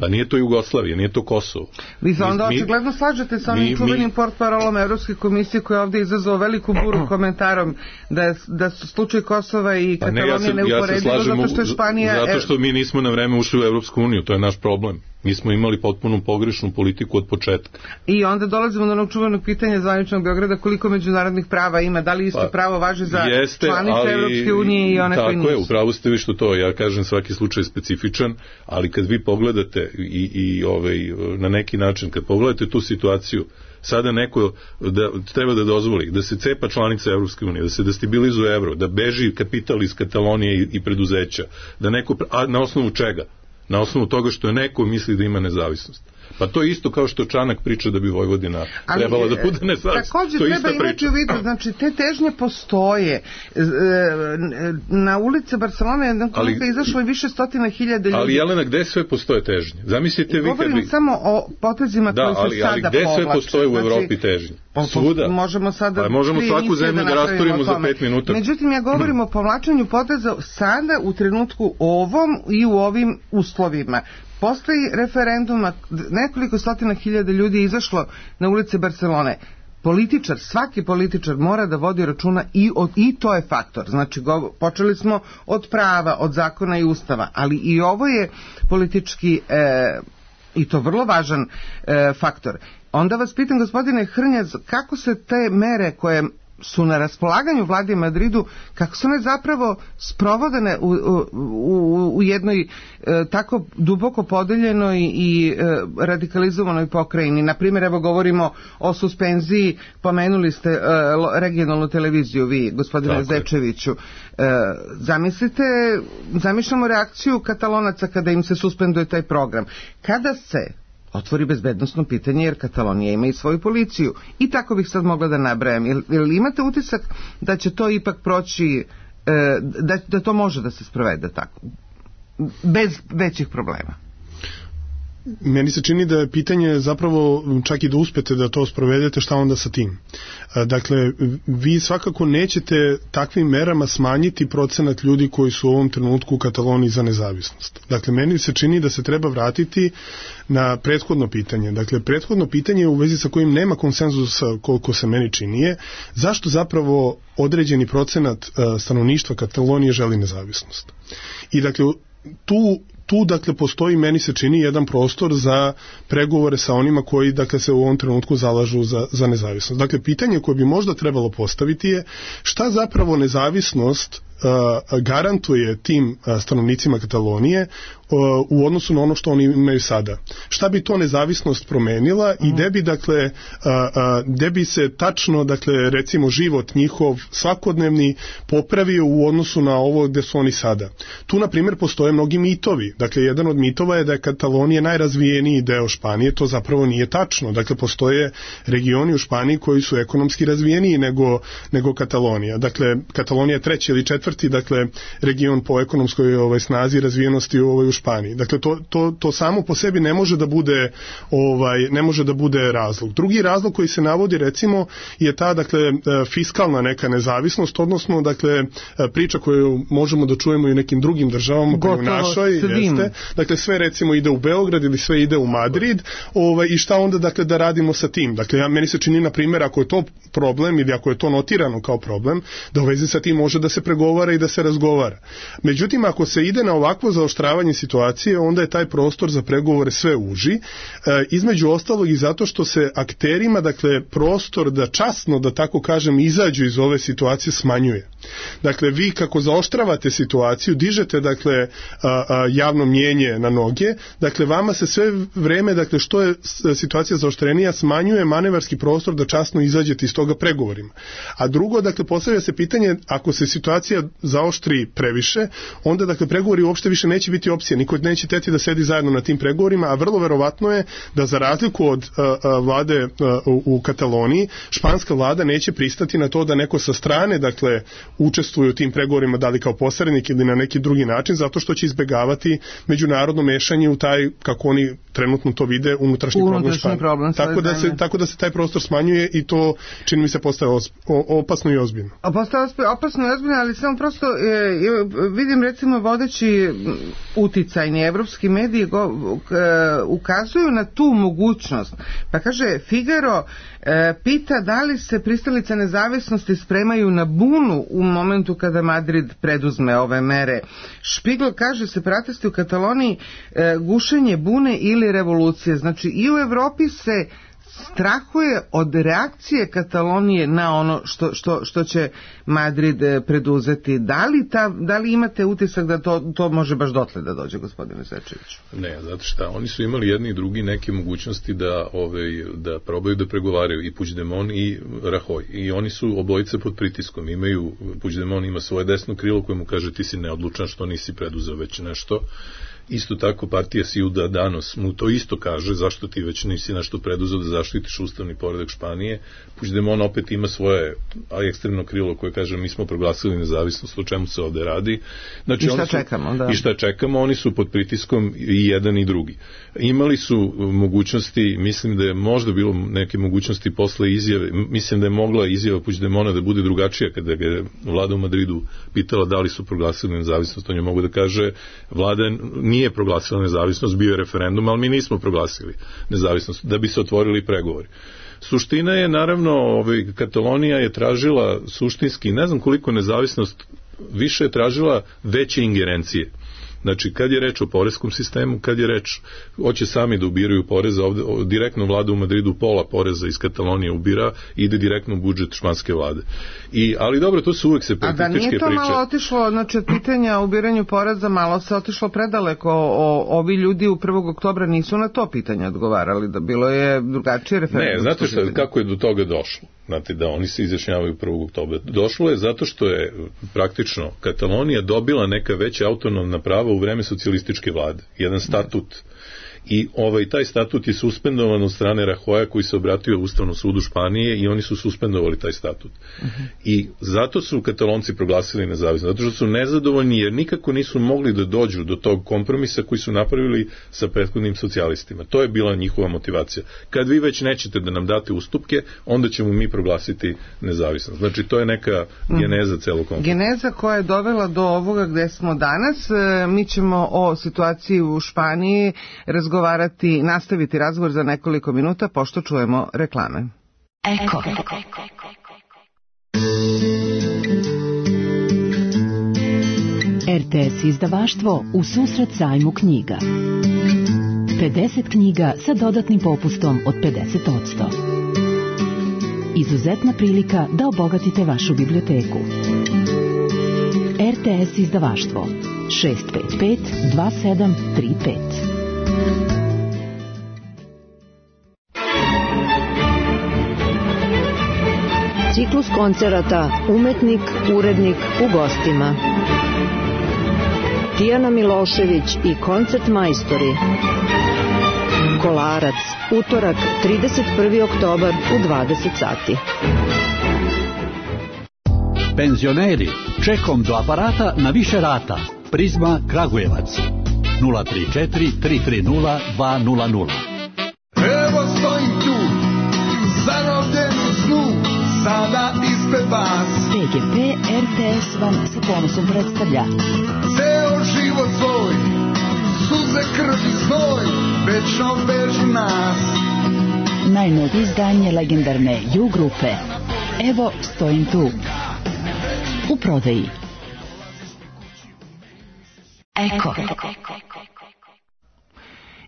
Pa nije to Jugoslavija, nije to Kosovo.
Vi se onda očigledno slažete sa onim čuvenim portparolom Evropske komisije koja je ovdje izazvao veliku buru komentarom da, je, da su slučaj Kosova i Katalonije pa ne, ja neuporedivo ja zato što je Španija...
Zato što mi nismo na vreme ušli u Evropsku uniju, to je naš problem. Mi smo imali potpuno pogrešnu politiku od početka.
I onda dolazimo do onog čuvenog pitanja zvaničnog Beograda, koliko međunarodnih prava ima, da li isto pa, pravo važi za jeste, članice ali, Evropske unije i one koje nisu.
Tako je, upravo ste vi što to, ja kažem svaki slučaj je specifičan, ali kad vi pogledate i, i ovaj, na neki način, kad pogledate tu situaciju, sada neko da, treba da dozvoli da se cepa članica Evropske unije, da se destabilizuje evro, da beži kapital iz Katalonije i, i preduzeća, da neko, a na osnovu čega? Na osnovu toga što je neko misli da ima nezavisnost. Pa to je isto kao što Čanak priča da bi Vojvodina ali, trebala da bude nezavisna.
Također treba imati u vidu, znači te težnje postoje. Na ulice Barcelone jedan koliko je izašlo više stotina hiljada ljudi.
Ali Jelena, gde sve postoje težnje? Zamislite vi kad bi...
Govorim samo o potezima
da,
koji se
ali,
sada
povlače. Da, ali gde sve postoje u Evropi znači, težnje? Svuda.
Možemo sada...
Pa možemo svaku zemlju da rasturimo za pet minuta.
Međutim, ja govorim o povlačenju poteza sada u trenutku ovom i u ovim uslovima. Postoji referenduma, nekoliko stotina hiljada ljudi je izašlo na ulice Barcelone. političar, svaki političar mora da vodi računa i, od, i to je faktor. Znači, go, počeli smo od prava, od zakona i ustava, ali i ovo je politički e, i to vrlo važan e, faktor. Onda vas pitam, gospodine Hrnjaz, kako se te mere koje su na raspolaganju vladi Madridu, kako su one zapravo sprovodene u, u, u jednoj e, tako duboko podeljenoj i e, radikalizovanoj pokrajini. Naprimjer, evo govorimo o suspenziji, pomenuli ste e, regionalnu televiziju vi, gospodine tako Zečeviću. E, zamislite, zamišljamo reakciju Katalonaca kada im se suspenduje taj program. Kada se otvori bezbednosno pitanje, jer Katalonija ima i svoju policiju. I tako bih sad mogla da nabrajam. Jel, jel imate utisak da će to ipak proći, da, da to može da se sprovede tako, bez većih problema?
Meni se čini da je pitanje zapravo čak i da uspete da to sprovedete, šta onda sa tim. Dakle, vi svakako nećete takvim merama smanjiti procenat ljudi koji su u ovom trenutku u Kataloniji za nezavisnost. Dakle, meni se čini da se treba vratiti na prethodno pitanje. Dakle, prethodno pitanje u vezi sa kojim nema konsenzusa, koliko se meni čini, je zašto zapravo određeni procenat stanovništva Katalonije želi nezavisnost. I dakle, tu Tu, dakle, postoji, meni se čini, jedan prostor za pregovore sa onima koji, dakle, se u ovom trenutku zalažu za, za nezavisnost. Dakle, pitanje koje bi možda trebalo postaviti je šta zapravo nezavisnost uh, garantuje tim uh, stanovnicima Katalonije uh, u odnosu na ono što oni imaju sada. Šta bi to nezavisnost promenila i gde bi, dakle, uh, uh, gde bi se tačno, dakle, recimo, život njihov svakodnevni popravio u odnosu na ovo gde su oni sada. Tu, na primjer, postoje mnogi mitovi. Dakle, jedan od mitova je da je Katalonija najrazvijeniji deo Španije, to zapravo nije tačno. Dakle, postoje regioni u Španiji koji su ekonomski razvijeniji nego, nego Katalonija. Dakle, Katalonija je treći ili četvrti, dakle, region po ekonomskoj ovaj, snazi i razvijenosti ovaj, u Španiji. Dakle, to, to, to samo po sebi ne može da bude ovaj, ne može da bude razlog. Drugi razlog koji se navodi, recimo, je ta, dakle, fiskalna neka nezavisnost, odnosno, dakle, priča koju možemo da čujemo i u nekim drugim državama, pa i u našoj, jeste. Dakle, sve, recimo, ide u Beograd ili sve ide u Madrid, ovaj, i šta onda, dakle, da radimo sa tim? Dakle, ja, meni se čini, na primjer, ako je to problem ili ako je to notirano kao problem, da u vezi sa tim može da se pregovara i da se razgovara. Međutim, ako se ide na ovakvo zaoštravanje situacije, onda je taj prostor za pregovore sve uži, e, između ostalog i zato što se akterima, dakle, prostor da časno, da tako kažem, izađu iz ove situacije smanjuje. Dakle, vi kako zaoštravate situaciju, dižete, dakle, a, a, javno mnjenje na noge, dakle, vama se sve vreme, dakle, što je situacija zaoštrenija, smanjuje manevarski prostor da časno izađete iz toga pregovorima. A drugo, dakle, postavlja se pitanje, ako se situacija zaoštri previše, onda, dakle, pregovori uopšte više neće biti opcija, niko neće teti da sedi zajedno na tim pregovorima, a vrlo verovatno je da za razliku od a, a, vlade a, u, u Kataloniji, španska vlada neće pristati na to da neko sa strane, dakle, učestvuje u tim pregovorima, da li kao posrednik ili na neki drugi način, zato što će izbegavati međunarodno mešanje u taj, kako oni trenutno to vide, unutrašnji, unutrašnji problem, problem tako, da se, tako da se taj prostor smanjuje i to, čini mi se, postaje opasno i ozbiljno.
Postaje opasno i ozbiljno, ali samo prosto e, vidim, recimo, vodeći uticajni evropski mediji go, e, ukazuju na tu mogućnost. Pa kaže, Figaro e, pita da li se pristalice nezavisnosti spremaju na bunu u momentu kada Madrid preduzme ove mere. Špigl kaže, separatisti u Kataloniji e, gušenje bune ili revolucije. Znači, i u Evropi se strahuje od reakcije Katalonije na ono što, što, što će Madrid preduzeti. Da li, ta, da li imate utisak da to, to može baš dotle da dođe, gospodine Zečeviću?
Ne, zato šta, oni su imali jedni i drugi neke mogućnosti da, ove, da probaju da pregovaraju, i Puigdemont i Rajoy. I oni su obojice pod pritiskom. Imaju, Puigdemont ima svoje desno krilo koje mu kaže ti si neodlučan što nisi preduzeo već nešto. Isto tako partija Ciudadanos mu to isto kaže, zašto ti već nisi nešto preduzeo da zaštitiš ustavni poredak Španije. Puigdemont opet ima svoje ekstremno krilo koje kaže mi smo proglasili nezavisnost, o čemu se ovde radi. Znači,
I šta
su,
čekamo? Da.
I šta čekamo, oni su pod pritiskom i jedan i drugi. Imali su mogućnosti, mislim da je možda bilo neke mogućnosti posle izjave, mislim da je mogla izjava Puigdemonta da bude drugačija kada ga je vlada u Madridu pitala da li su proglasili nezavisnost, on je mogu da kaže vlada nije nije proglasila nezavisnost, bio je referendum, ali mi nismo proglasili nezavisnost, da bi se otvorili pregovori. Suština je, naravno, ovaj, Katalonija je tražila suštinski, ne znam koliko nezavisnost, više je tražila veće ingerencije. Znači, kad je reč o poreskom sistemu, kad je reč, hoće sami da ubiraju poreza, ovde, o, direktno vlada u Madridu pola poreza iz Katalonije ubira, ide direktno u budžet španske vlade. I, ali dobro, to su uvek separatističke priče.
A da nije to priče. Malo otišlo, znači od pitanja o ubiranju poreza, malo se otišlo predaleko, o, ovi ljudi u prvog oktobra nisu na to pitanje odgovarali, da bilo je drugačije referendum.
Ne, znate šta, kako je do toga došlo? Znate, da oni se izjašnjavaju prvog oktobra. Došlo je zato što je praktično Katalonija dobila neka veća autonomna prava u vreme socijalističke vlade. Jedan statut. I ovaj, taj statut je suspendovan od strane Rajoja koji se obratio Ustavnom sudu Španije i oni su suspendovali taj statut. Uh-huh. I zato su Katalonci proglasili nezavisnost. Zato što su nezadovoljni jer nikako nisu mogli da dođu do tog kompromisa koji su napravili sa prethodnim socijalistima. To je bila njihova motivacija. Kad vi već nećete da nam date ustupke, onda ćemo mi proglasiti nezavisnost. Znači, to je neka geneza celog konflikta.
Geneza koja je dovela do ovoga gde smo danas. Mi ćemo o situaciji u Španiji razgovarati razgovarati, nastaviti razgovor za nekoliko minuta, pošto čujemo reklame.
Eko. R T S izdavaštvo u susret sajmu knjiga. pedeset knjiga sa dodatnim popustom od pedeset posto. Izuzetna prilika da obogatite vašu biblioteku. R T S izdavaštvo šest pet pet dva sedam tri pet.
Ciklus koncerata Umetnik, urednik u gostima. Tijana Milošević i koncert majstori. Kolarac, utorak, trideset prvi oktobar u dvadeset sati.
Penzioneri, čekom do aparata na više rata. Prizma Kragujevac. nula tri četiri tri tri nula dva nula nula.
Evo stojim tu, zarobljen u snu, sada ispred vas.
P G P R T S vam sa ponosom predstavlja
ceo život svoj, suze, krv i znoj, večno vežu nas.
Najnovije izdanje legendarne U grupe Evo stojim tu, u prodaji. Eko.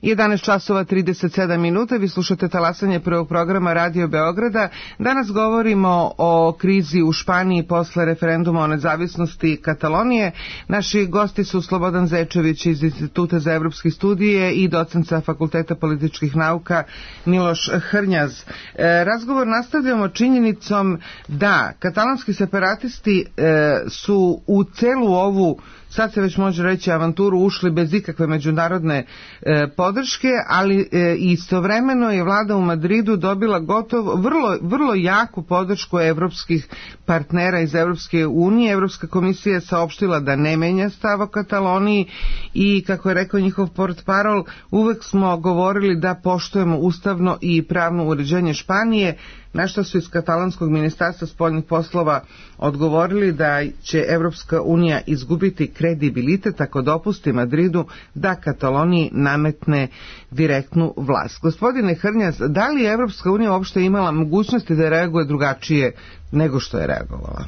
jedanaest časova trideset sedam minuta, vi slušate talasanje prvog programa Radio Beograda. Danas govorimo o krizi u Španiji posle referenduma o nezavisnosti Katalonije. Naši gosti su Slobodan Zečević iz Instituta za evropske studije i docent sa Fakulteta političkih nauka Miloš Hrnjaz. E, razgovor nastavljamo činjenicom da katalonski separatisti e, su u celu ovu, sad se već može reći, avanturu ušli bez ikakve međunarodne e, podrške, ali e, istovremeno je vlada u Madridu dobila gotovo vrlo, vrlo jaku podršku evropskih partnera iz Evropske unije. Evropska komisija je saopštila da ne menja stav o Kataloniji i, kako je rekao njihov portparol, uvek smo govorili da poštujemo ustavno i pravno uređenje Španije, na što su iz katalonskog ministarstva spoljnih poslova odgovorili da će Evropska unija izgubiti kredibilitet ako dopusti Madridu da Kataloniji nametne direktnu vlast. Gospodine Hrnjaz, da li je Evropska unija uopšte imala mogućnosti da reaguje drugačije nego što je reagovala?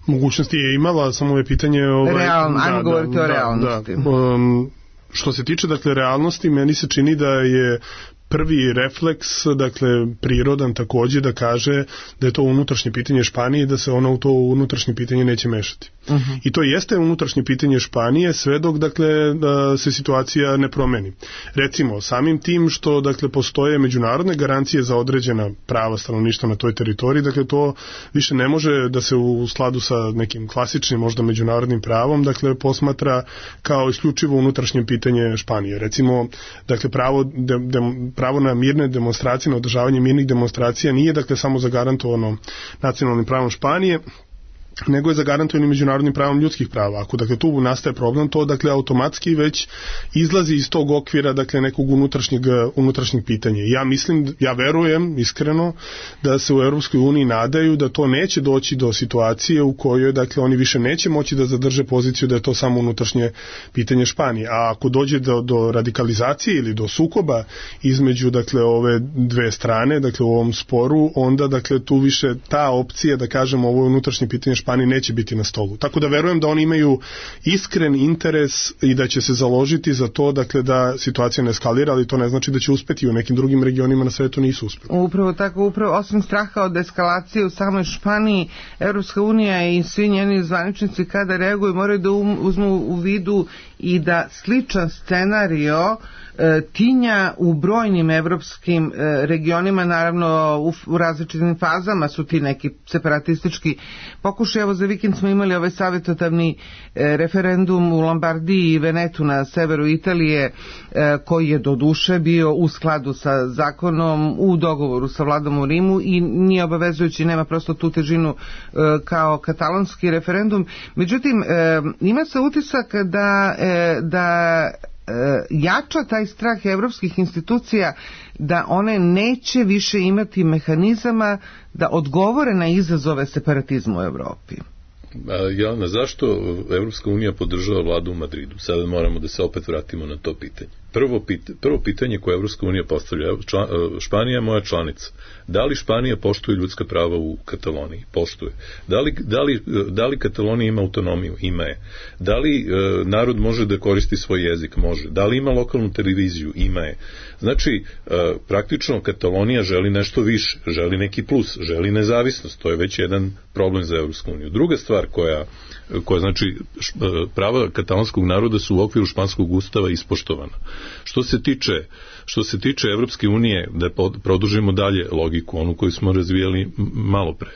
Mogućnosti je imala, samo je pitanje... Ovaj,
Realno, ajmo
da,
govoriti
da,
o realnosti.
Da, um, što se tiče, dakle, realnosti, meni se čini da je prvi refleks, dakle, prirodan takođe da kaže da je to unutrašnje pitanje Španije i da se ona u to unutrašnje pitanje neće mešati. Uh-huh. I to jeste unutrašnje pitanje Španije sve dok, dakle, da se situacija ne promeni. Recimo, samim tim što, dakle, postoje međunarodne garancije za određena prava stanovništva na toj teritoriji, dakle, to više ne može da se u skladu sa nekim klasičnim, možda međunarodnim pravom, dakle, posmatra kao isključivo unutrašnje pitanje Španije. Recimo, dakle, pravo de, de, pravo na mirne demonstracije, na održavanje mirnih demonstracija nije, dakle, samo zagarantovano nacionalnim pravom Španije, nego je zagarantovano međunarodnim pravom ljudskih prava. Ako dakle tu nastaje problem, to dakle automatski već izlazi iz tog okvira dakle nekog unutrašnjeg unutrašnjeg pitanja. Ja mislim, ja verujem iskreno da se u Europskoj uniji nadaju da to neće doći do situacije u kojoj dakle oni više neće moći da zadrže poziciju da je to samo unutrašnje pitanje Španije. A ako dođe do, do radikalizacije ili do sukoba između dakle ove dve strane, dakle u ovom sporu, onda dakle tu više ta opcija da kažemo ovo unutrašnje pitanje Španije neće biti na stolu. Tako da verujem da oni imaju iskren interes i da će se založiti za to dakle da situacija ne eskalira, ali to ne znači da će uspeti. U nekim drugim regionima na svetu nisu uspeli.
Upravo tako, upravo osim straha od eskalacije u samoj Španiji, Evropska unija i svi njeni zvaničnici kada reaguju moraju da uzmu u vidu i da sličan scenario e, tinja u brojnim evropskim e, regionima, naravno u, u različitim fazama su ti neki separatistički pokušaj. Evo za vikend smo imali ovaj savjetodavni e, referendum u Lombardiji i Venetu na severu Italije, e, koji je do duše bio u skladu sa zakonom, u dogovoru sa vladom u Rimu i nije obavezujući, nema prosto tu težinu e, kao katalonski referendum. Međutim, e, ima se utisak da e, da jača taj strah evropskih institucija da one neće više imati mehanizama da odgovore na izazove separatizma u Evropi.
Jelena, zašto Evropska unija podržava vladu u Madridu? Sada moramo da se opet vratimo na to pitanje. Prvo, pit, prvo pitanje koje Evropska unija postavlja, član, Španija je moja članica. Da li Španija poštuje ljudska prava u Kataloniji? Poštuje. Da li, da li, da li Katalonija ima autonomiju? Ima je. Da li e, narod može da koristi svoj jezik? Može. Da li ima lokalnu televiziju? Ima je. Znači, e, praktično Katalonija želi nešto više, želi neki plus, želi nezavisnost. To je već jedan problem za Evropsku uniju. Druga stvar koja, koja znači, prava katalonskog naroda su u okviru španskog ustava ispoštovana. Što se tiče, što se tiče Evropske unije, da produžimo dalje logiku, onu koju smo razvijali malo pre.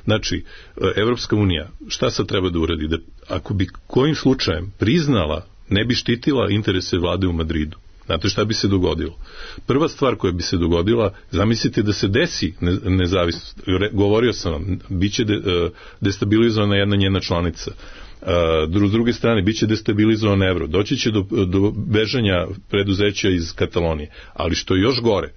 Znači, Evropska unija, šta sad treba da uradi? Da ako bi kojim slučajem priznala, ne bi štitila interese vlade u Madridu. Znate šta bi se dogodilo? Prva stvar koja bi se dogodila, zamislite da se desi nezavisnost. Govorio sam vam, bit će de, destabilizovana jedna njena članica. S druge strane, bit će destabilizovan evro. Doći će do, do bežanja preduzeća iz Katalonije. Ali što je još gore,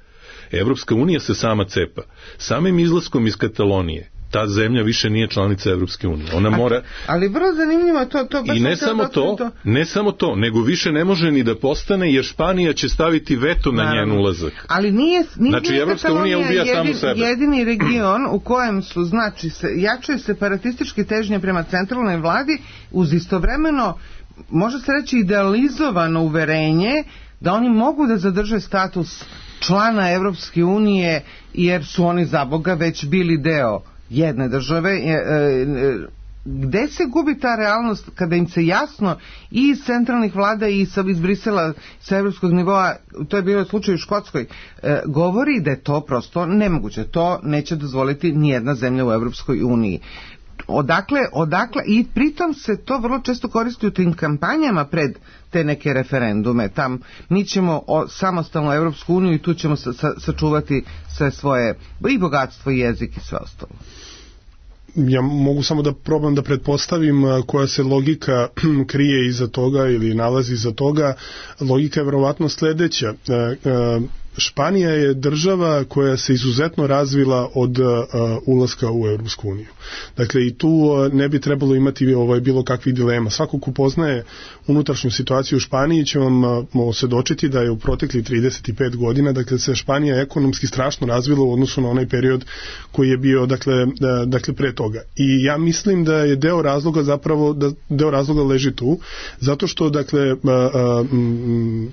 Evropska unija se sama cepa. Samim izlaskom iz Katalonije ta zemlja više nije članica Evropske unije. Ona mora...
Ali vrlo zanimljivo to... to baš
I ne samo to, to, ne samo to, nego više ne može ni da postane, jer Španija će staviti veto na njen ulazak.
Ali nije, nije
znači, Evropska unija ubija
jedin,
samu sebe.
Jedini region u kojem su, znači, se, jačaju separatističke težnje prema centralnoj vladi, uz istovremeno, može se reći, idealizovano uverenje da oni mogu da zadrže status člana Evropske unije, jer su oni za Boga već bili deo jedne države. Gde se gubi ta realnost kada im se jasno i iz centralnih vlada i iz Brisela sa evropskog nivoa, to je bilo slučaj u Škotskoj, govori da je to prosto nemoguće. To neće dozvoliti nijedna zemlja u Evropskoj uniji. Odakle, odakle, i pritom se to vrlo često koristi u tim kampanjama pred te neke referendume. Tam mi ćemo o, samostalnu Evropsku uniju i tu ćemo sa, sa, sačuvati sve svoje i bogatstvo i jezik i sve ostalo.
Ja mogu samo da probam da pretpostavim koja se logika krije iza toga ili nalazi iza toga. Logika je verovatno sledeća. Španija je država koja se izuzetno razvila od uh, ulaska u Europsku uniju. Dakle, i tu uh, ne bi trebalo imati ovaj, bilo kakvih dilema. Svako ko poznaje unutrašnju situaciju u Španiji će vam uh, osvedočiti da je u protekli trideset pet godina, dakle, se Španija ekonomski strašno razvila u odnosu na onaj period koji je bio, dakle, da, dakle pre toga. I ja mislim da je deo razloga zapravo, da deo razloga leži tu, zato što, dakle, uh, uh, m,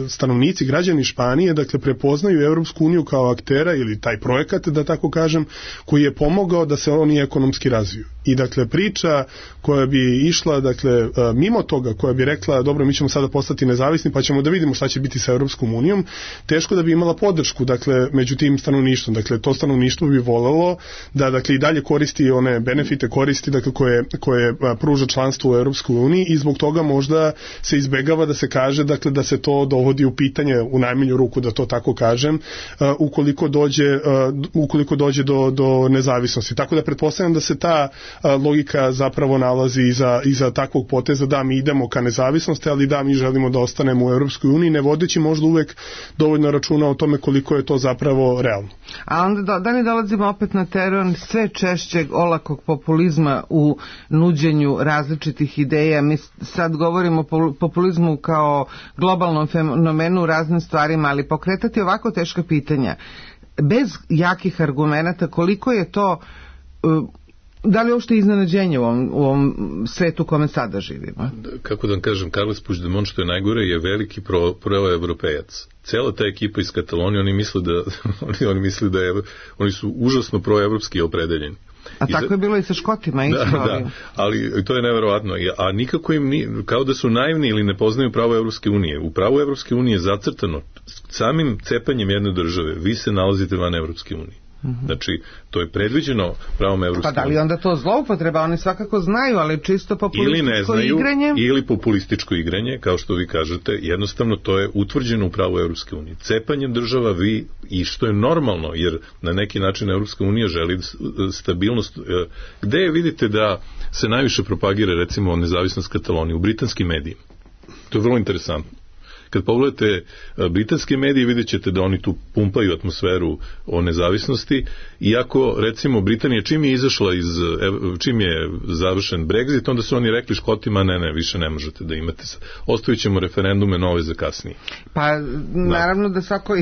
stanovnici, građani Španije, dakle, prepoznaju Evropsku uniju kao aktera ili taj projekat, da tako kažem, koji je pomogao da se oni ekonomski razviju. I, dakle, priča koja bi išla, dakle, mimo toga, koja bi rekla, dobro, mi ćemo sada postati nezavisni, pa ćemo da vidimo šta će biti sa Evropskom unijom, teško da bi imala podršku, dakle, među tim stanovništvom. Dakle, to stanovništvo bi volelo da, dakle, i dalje koristi one benefite, koristi, dakle, koje, koje pruža članstvo u Evropskoj uniji i zbog toga možda se izbegava da se kaže, dakle, da se to dovodi u pitanje, u najmanju ruku, da to tako kažem, uh, ukoliko dođe, uh, ukoliko dođe do, do nezavisnosti. Tako da pretpostavljam da se ta logika zapravo nalazi iza, iza takvog poteza da mi idemo ka nezavisnosti, ali da mi želimo da ostanemo u Europskoj uniji, ne vodeći možda uvek dovoljno računa o tome koliko je to zapravo realno.
A onda da li dolazimo opet na teren sve češćeg olakog populizma u nuđenju različitih ideja? Mi sad govorimo o populizmu kao globalnom fenomenu u raznim stvarima, ali pokretati ovako teška pitanja bez jakih argumenata, koliko je to, da li uopšte iznenađenje u ovom, u ovom svetu u kome sada živimo?
Kako da vam kažem, Carles Puigdemont, što je najgore, je veliki pro, proevropejac. Cela ta ekipa iz Katalonije, oni misle da oni, oni misle da je, oni su užasno proevropski opredeljeni.
A tako za... je bilo i sa Škotima.
Da, da, ali to je neverovatno. A nikako im, ni, kao da su naivni ili ne poznaju pravo Evropske unije. U pravu Evropske unije je zacrtano samim cepanjem jedne države. Vi se nalazite van Evropske unije. Mm-hmm. Znači, to je predviđeno pravom Evropske unije.
Pa da li onda to zloupotreba? Oni svakako znaju, ali čisto populističko ili ne znaju, igranje?
Ili populističko igranje, kao što vi kažete, jednostavno to je utvrđeno u pravu Evropske unije. Cepanje država vi, i što je normalno, jer na neki način Evropska unija želi stabilnost. Gde je vidite da se najviše propagira, recimo, nezavisnost Katalonije? U britanskim medijima. To je vrlo interesantno. Kad pogledate britanske medije, vidjet ćete da oni tu pumpaju atmosferu o nezavisnosti, iako, recimo, Britanija čim je izašla iz, čim je završen Brexit, onda su oni rekli Škotima, ne, ne, više ne možete da imate, ostavit ćemo referendume nove za kasnije.
Pa, naravno da, da svako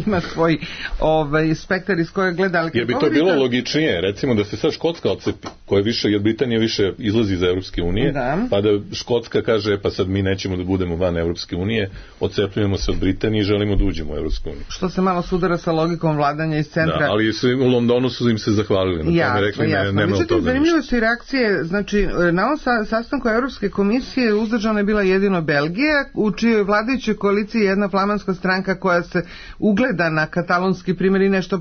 ima svoj ovaj, spektar iz koje gleda, ali...
Jer bi to bilo da... logičnije, recimo, da se sad Škotska odcepi, koja više, jer Britanija više izlazi iz Evropske unije, da. Pa da Škotska kaže, pa sad mi nećemo da budemo van Evropske unije, odcepljujemo se od Britanije i želimo da uđemo u Evropsku uniju.
Što se malo sudara sa logikom vladanja iz centra.
Da, ali su, u Londonu su im se zahvalili. Na
jasno,
tome rekli,
jasno.
Ne, nema
Međutim, zanimljive su i reakcije. Znači, na ovom sa, sastanku Evropske komisije uzdržana je bila jedino Belgija, u čijoj vladajućoj koaliciji je jedna flamanska stranka koja se ugleda na katalonski primjer i nešto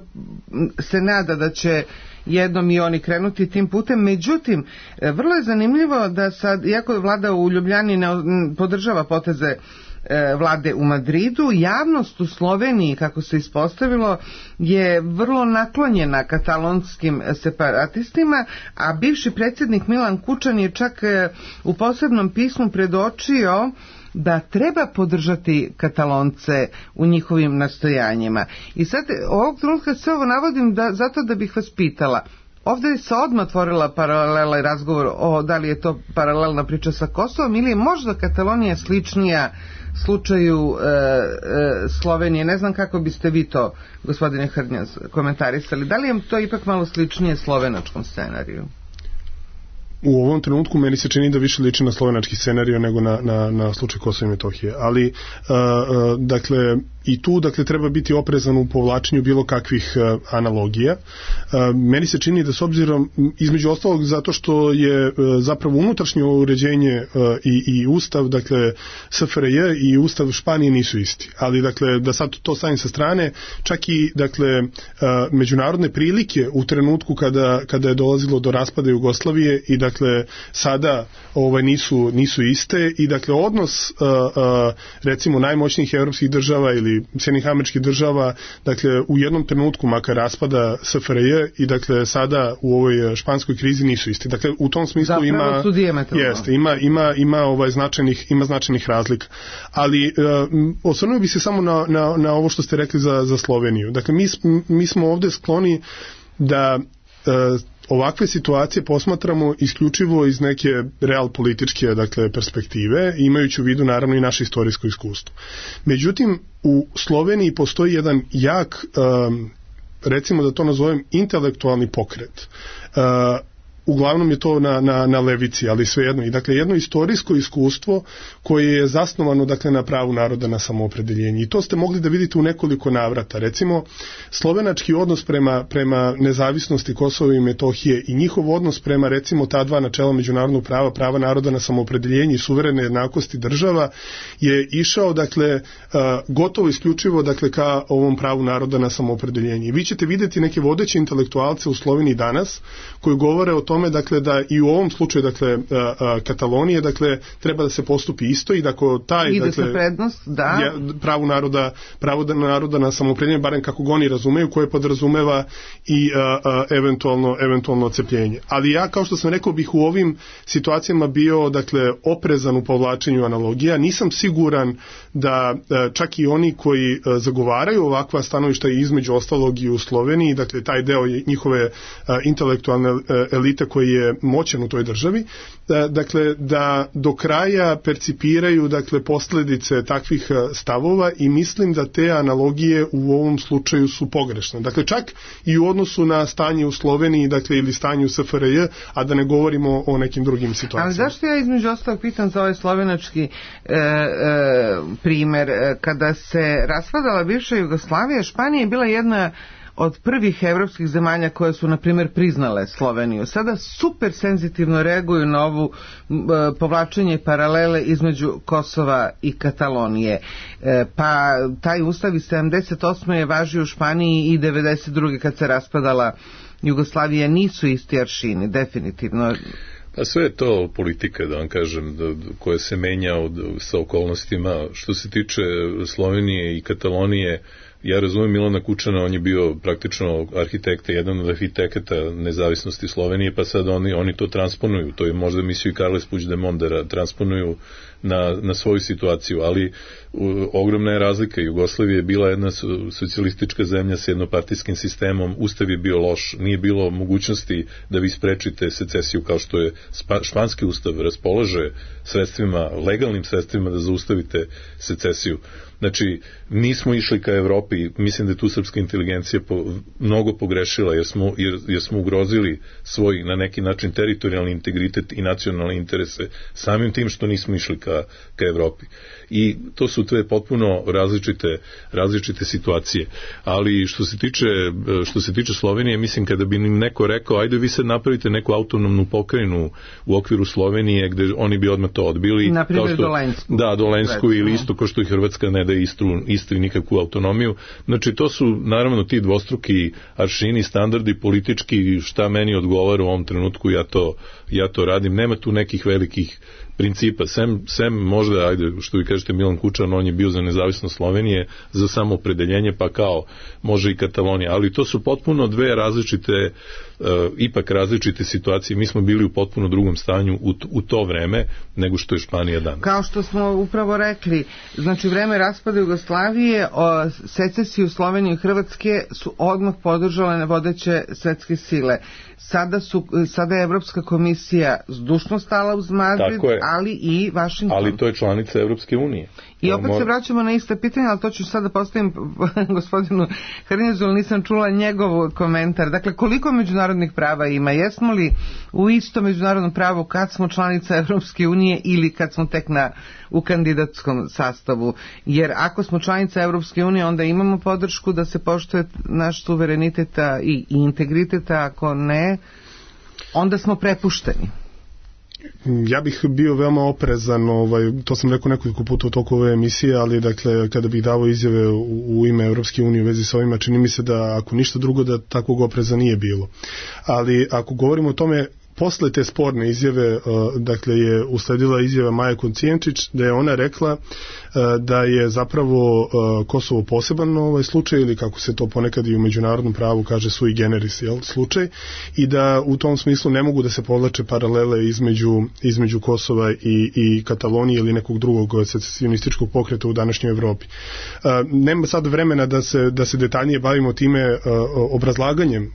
se nada da će jednom i oni krenuti tim putem. Međutim, vrlo je zanimljivo da sad, iako je vlada u Ljubljani ne podržava poteze vlade u Madridu, javnost u Sloveniji, kako se ispostavilo, je vrlo naklonjena katalonskim separatistima, a bivši predsjednik Milan Kučan je čak u posebnom pismu predočio da treba podržati Katalonce u njihovim nastojanjima. I sad ovog trenutka sve ovo navodim da, zato da bih vas pitala. Ovdje se odmah otvorila paralela i razgovor o da li je to paralelna priča sa Kosovom ili je možda Katalonija sličnija slučaju e, e, Slovenije. Ne znam kako biste vi to, gospodine Hrnjaz, komentarisali. Da li je to ipak malo sličnije slovenačkom scenariju?
U ovom trenutku meni se čini da više liči na slovenački scenarij nego na, na, na slučaj Kosova i Metohije. Ali, uh, uh, dakle, i tu dakle, treba biti oprezan u povlačenju bilo kakvih uh, analogija. Uh, meni se čini da s obzirom, između ostalog, zato što je uh, zapravo unutrašnje uređenje uh, i, i ustav, dakle, S F R J i ustav Španije nisu isti. Ali, dakle, da sad to stavim sa strane, čak i, dakle, uh, međunarodne prilike u trenutku kada, kada je dolazilo do raspada Jugoslavije i, dakle, sada ovaj, nisu, nisu iste i, dakle, odnos uh, uh, recimo najmoćnijih evropskih država ili Sjedinjenih Američkih država, dakle, u jednom trenutku makar raspada S F R J i, dakle, sada u ovoj španskoj krizi nisu isti. Dakle, u tom smislu
zapravo
ima jeste, ima ima ima ovaj značajnih ima značajnih razlika. Ali uh, osvrnuo bih se samo na, na, na ovo što ste rekli za za Sloveniju. Dakle, mi mi smo ovde skloni da uh, ovakve situacije posmatramo isključivo iz neke real političke, dakle, perspektive, imajući u vidu naravno i naše istorijsko iskustvo. Međutim, u Sloveniji postoji jedan jak, um, recimo da to nazovem, intelektualni pokret. Uh, uglavnom je to na, na, na levici, ali svejedno. I dakle, jedno istorijsko iskustvo koje je zasnovano, dakle, na pravu naroda na samoopredeljenje. I to ste mogli da vidite u nekoliko navrata. Recimo, slovenački odnos prema, prema nezavisnosti Kosova i Metohije i njihov odnos prema, recimo, ta dva načela međunarodnog prava, prava naroda na samoopredeljenje i suverene jednakosti država je išao, dakle, gotovo isključivo, dakle, ka ovom pravu naroda na samoopredeljenje. I vi ćete vidjeti neke vodeće intelektualce u Sloveniji danas koji govore o tome dakle da i u ovom slučaju dakle Katalonije dakle treba da se postupi isto i da ako taj
ide
dakle
sa prednost, da,
je, pravo naroda pravo naroda na samoopredeljenje, barem kako ga oni razumeju, koje podrazumeva i a, a, eventualno eventualno odcepljenje. Ali ja, kao što sam rekao, bih u ovim situacijama bio dakle oprezan u povlačenju analogija. Nisam siguran da a, čak i oni koji a, zagovaraju ovakva stanovišta i između ostalog i u Sloveniji, dakle taj deo njihove a, intelektualne a, elite koji je moćan u toj državi, da, dakle da do kraja percipiraju dakle posljedice takvih stavova i mislim da te analogije u ovom slučaju su pogrešne. Dakle čak i u odnosu na stanje u Sloveniji, dakle ili stanje u S F R J, a da ne govorimo o nekim drugim situacijama.
Ali zašto ja između ostalog pitam za ovaj slovenački e, e, primer, kada se raspadala bivša Jugoslavija, Španija je bila jedna od prvih evropskih zemalja koje su, na primjer, priznale Sloveniju. Sada super senzitivno reaguju na ovu e, povlačenje paralele između Kosova i Katalonije. E, pa taj ustav iz sedamdeset osme je važio u Španiji i devedeset druge kad se raspadala Jugoslavija. Nisu isti aršini, definitivno.
Pa sve je to politika, da vam kažem, da, koja se menja od, sa okolnostima. Što se tiče Slovenije i Katalonije, ja razumem Milana Kučana, on je bio praktično arhitekta, jedan od arhitekata nezavisnosti Slovenije, pa sad oni, oni to transponuju. To je možda mislio i Carles Puigdemont da transponuju na, na svoju situaciju, ali u, ogromna je razlika. Jugoslavija je bila jedna socijalistička zemlja s jednopartijskim sistemom, ustav je bio loš, nije bilo mogućnosti da vi sprečite secesiju kao što je španski ustav raspolaže sredstvima, legalnim sredstvima da zaustavite secesiju. Znači, nismo išli ka Evropi, mislim da je tu srpska inteligencija po, mnogo pogrešila, jer smo, jer, jer smo ugrozili svoj, na neki način, teritorijalni integritet i nacionalne interese, samim tim što nismo išli ka, ka Evropi. I to su tve potpuno različite, različite situacije. Ali što se tiče, što se tiče Slovenije, mislim, kada bi im neko rekao, ajde vi sad napravite neku autonomnu pokrajinu u okviru Slovenije, gde oni bi odmah to odbili.
Na primjer Dolensku.
Da, Dolensku recimo. Ili isto, kao što i Hrvatska ne da Istru, Istri nikakvu autonomiju. Znači, to su naravno ti dvostruki aršini, standardi politički, šta meni odgovara u ovom trenutku, ja to, ja to radim. Nema tu nekih velikih principa, sem, sem možda, ajde, što vi kažete, Milan Kučan, on je bio za nezavisnost Slovenije, za samoopredeljenje, pa kao može i Katalonija, ali to su potpuno dve različite, uh, ipak različite situacije. Mi smo bili u potpuno drugom stanju u, u to vreme nego što je Španija danas.
Kao što smo upravo rekli, znači vreme raspada Jugoslavije, o secesiju Slovenije i Hrvatske su odmah podržale vodeće svetske sile. Sada, su, sada je Evropska komisija zdušno stala uz Madrid, ali i Vašington.
Ali to je članica Evropske unije.
I opet se vraćamo na iste pitanje, ali to ću sada postavim gospodinu Hrnjezu, ali nisam čula njegov komentar. Dakle, koliko međunarodnih prava ima? Jesmo li u isto međunarodnom pravu kad smo članica Evropske unije ili kad smo tek na, u kandidatskom sastavu? Jer ako smo članica Evropske unije, onda imamo podršku da se poštuje naš suverenitet i integritet, ako ne, onda smo prepušteni.
Ja bih bio veoma oprezan, ovaj, to sam rekao nekoliko puta u toku ove emisije, ali dakle, kada bih davao izjave u, u ime Evropske unije u vezi sa ovima, čini mi se da ako ništa drugo da takvog opreza nije bilo. Ali ako govorimo o tome, posle te sporne izjave, dakle, je usledila izjava Maje Kocijančić, da je ona rekla da je zapravo Kosovo poseban ovaj slučaj, ili kako se to ponekad i u međunarodnom pravu kaže sui generis, jel, slučaj, i da u tom smislu ne mogu da se povlače paralele između, između Kosova i, i Katalonije ili nekog drugog secesionističkog pokreta u današnjoj Evropi. Nema sad vremena da se, da se detaljnije bavimo time obrazlaganjem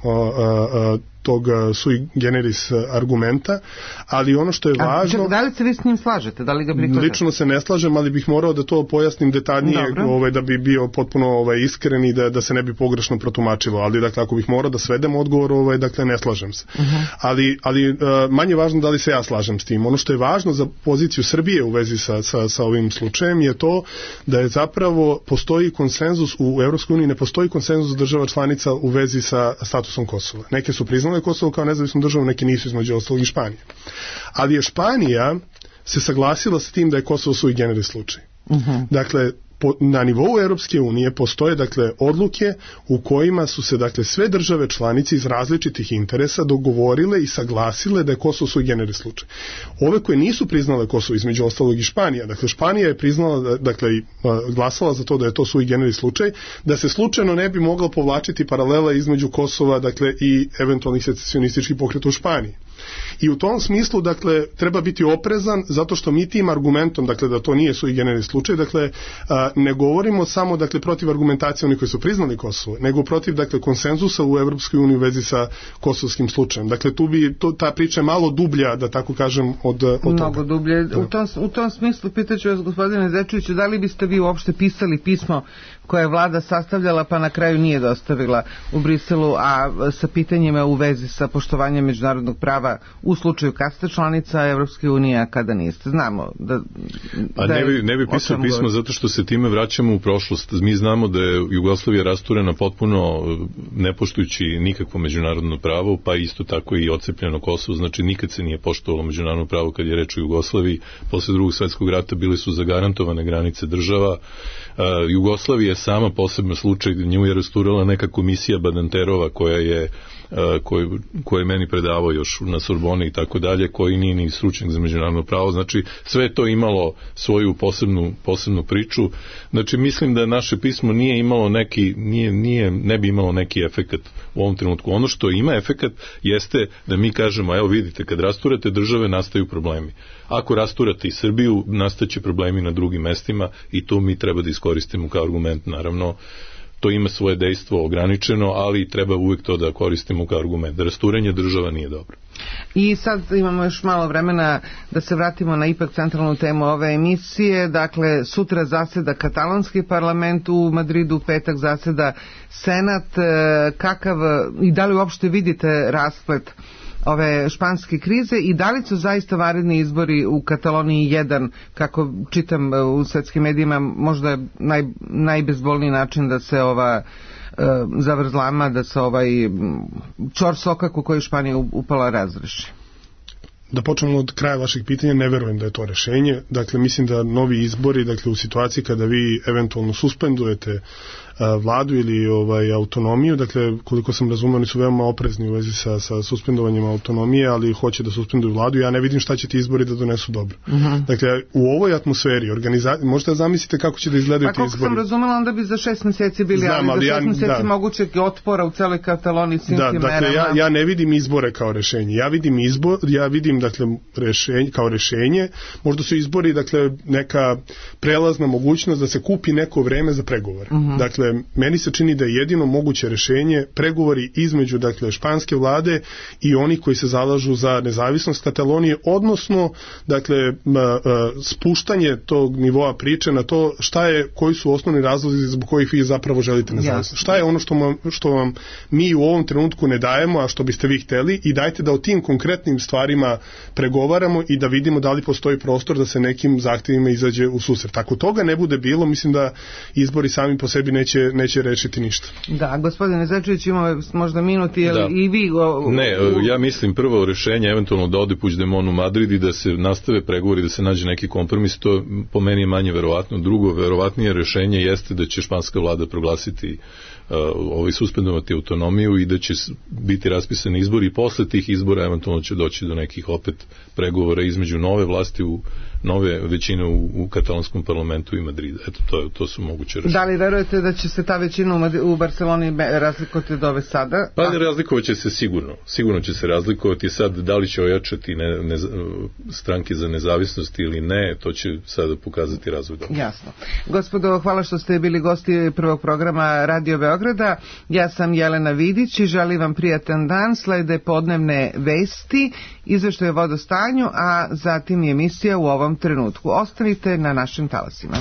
tog sui generis argumenta, ali ono što je važno...
A, da li se vi s njim slažete? Da li ga prihvatate?
Lično se ne slažem, ali bih morao da to pojasnim detaljnije, ovaj, da bi bio potpuno ovaj, iskren i da, da se ne bi pogrešno protumačilo. Ali dakle, ako bih morao da svedem odgovor, ovaj, dakle, ne slažem se. Uh-huh. Ali, ali manje važno da li se ja slažem s tim. Ono što je važno za poziciju Srbije u vezi sa, sa, sa ovim slučajem je to da je zapravo postoji konsenzus u Evropskoj uniji, ne postoji konsenzus država članica u vezi sa statusom Kosova. Neke su priznale Kosovo kao nezavisnu državu, neki nisu, između ostalog i Španije. Ali je Španija se saglasila sa tim da je Kosovo sui generis slučaj. Uh-huh. Dakle, po, na nivou Europske unije postoje dakle odluke u kojima su se dakle sve države članice iz različitih interesa dogovorile i saglasile da je Kosovo sui generis slučaj. Ove koje nisu priznale Kosovo, između ostalog i Španija, dakle Španija je priznala, dakle glasala za to da je to sui generis slučaj, da se slučajno ne bi mogla povlačiti paralela između Kosova, dakle i eventualnih secesionističkih pokreta u Španiji. I u tom smislu, dakle, treba biti oprezan zato što mi tim argumentom, dakle, da to nije sui generis slučaj, dakle, a, ne govorimo samo, dakle, protiv argumentacije onih koji su priznali Kosovo, nego protiv, dakle, konsenzusa u Evropskoj uniji u vezi sa kosovskim slučajem. Dakle, tu bi, to, ta priča je malo dublja, da tako kažem, od, od toga.
Mnogo dublje. Da. U, tom, u tom smislu, pitaću vas, gospodine Zečeviću, da li biste vi uopšte pisali pismo koje je vlada sastavljala pa na kraju nije dostavila u Briselu, a sa pitanjima u vezi sa poštovanjem međunarodnog prava u slučaju kad ste članica Evropske unije, a kada niste. Znamo da...
A da ne bi, ne bi pisao pismo govori. Zato što se time vraćamo u prošlost. Mi znamo da je Jugoslavija rasturena potpuno ne poštujući nikakvo međunarodno pravo, pa isto tako i ocepljeno Kosovo. Znači nikad se nije poštovalo međunarodno pravo kad je reč o Jugoslaviji. Posle drugog svjetskog rata bile su zagarantovane granice država. Uh, Jugoslavija je sama posebno slučaj, nju je rasturala neka komisija Badanterova koja je koji koji je meni predavao još na Sorboni i tako dalje, koji nije ni stručnjak za međunarodno pravo. Znači sve je to imalo svoju posebnu posebnu priču. Znači mislim da naše pismo nije imalo neki nije nije ne bi imalo neki efekat u ovom trenutku. Ono što ima efekat jeste da mi kažemo, evo vidite, kad rasturate države nastaju problemi. Ako rasturate i Srbiju, nastaće problemi na drugim mestima i to mi treba da iskoristimo kao argument. Naravno, to ima svoje dejstvo ograničeno, ali treba uvijek to da koristimo kao argument. Rasturanje država nije dobro.
I sad imamo još malo vremena da se vratimo na ipak centralnu temu ove emisije. Dakle, sutra zaseda katalonski parlament u Madridu, u petak zaseda Senat. Kakav i da li uopšte vidite rasplet ove španske krize i da li su zaista vanredni izbori u Kataloniji jedan, kako čitam u svetskim medijima, možda naj, najbezbolniji način da se ova e, zavrzlama, da se ovaj čor sokak u koji Španija upala razreši?
Da počnemo od kraja vašeg pitanja, ne verujem da je to rešenje. Dakle, mislim da novi izbori, dakle u situaciji kada vi eventualno suspendujete vladu ili ovaj autonomiju, dakle koliko sam razumeo oni su veoma oprezni u vezi sa, sa suspendovanjem autonomije, ali hoće da suspenduju vladu. Ja ne vidim šta će ti izbori da donesu dobro. Uh-huh. Dakle, u ovoj atmosferi organiza... možete da zamislite kako će da izgledaju ti izbori.
Pa kako sam razumela, onda bi za šest meseci bili, Znam, ali za šest ja, meseci da. mogućeg otpora u celoj Kataloniji svim
da,
tim
dakle,
merama.
Ja, ja ne vidim izbore kao rešenje. Ja vidim izbor, ja vidim dakle rešenje kao rešenje. Možda su izbori dakle neka prelazna mogućnost da se kupi neko vreme za pregovore. Uh-huh. Dakle, meni se čini da je jedino moguće rešenje pregovori između dakle španske vlade i onih koji se zalažu za nezavisnost Katalonije, odnosno dakle spuštanje tog nivoa priče na to šta je, koji su osnovni razlozi zbog kojih vi zapravo želite nezavisnost. Yes. Šta je ono što vam, što vam mi u ovom trenutku ne dajemo, a što biste vi hteli, i dajte da o tim konkretnim stvarima pregovaramo i da vidimo da li postoji prostor da se nekim zahtjevima izađe u susret. Ako toga ne bude bilo, mislim da izbori sami po sebi neće, neće rešiti ništa.
Da, gospodine Zečević, imamo možda minuti, jel da. i vi... O,
ne, ja mislim prvo rešenje eventualno da ode Puigdemont u Madrid i da se nastave pregovori, da se nađe neki kompromis, to po meni je manje verovatno. Drugo, verovatnije rešenje jeste da će španska vlada proglasiti uh, ovaj suspendovati autonomiju i da će biti raspisani izbori i posle tih izbora eventualno će doći do nekih opet pregovora između nove vlasti u nove većine u, u katalonskom parlamentu i Madrida. Eto, to, to su moguće rešenje.
Da li verujete da će se ta većina u, Madri- u Barceloni razlikovati od ove sada?
Pa ne, razlikovat će se sigurno. Sigurno će se razlikovati. Sad, da li će ojačati ne, ne, stranke za nezavisnost ili ne, to će sada pokazati razvoj.
Jasno. Gospodo, hvala što ste bili gosti prvog programa Radio Beograda. Ja sam Jelena Vidić i želim vam prijatan dan. Slede podnevne vesti, izveštaj o vodostanju, a zatim i emisija u ovom trenutku. Ostanite na našim talasima.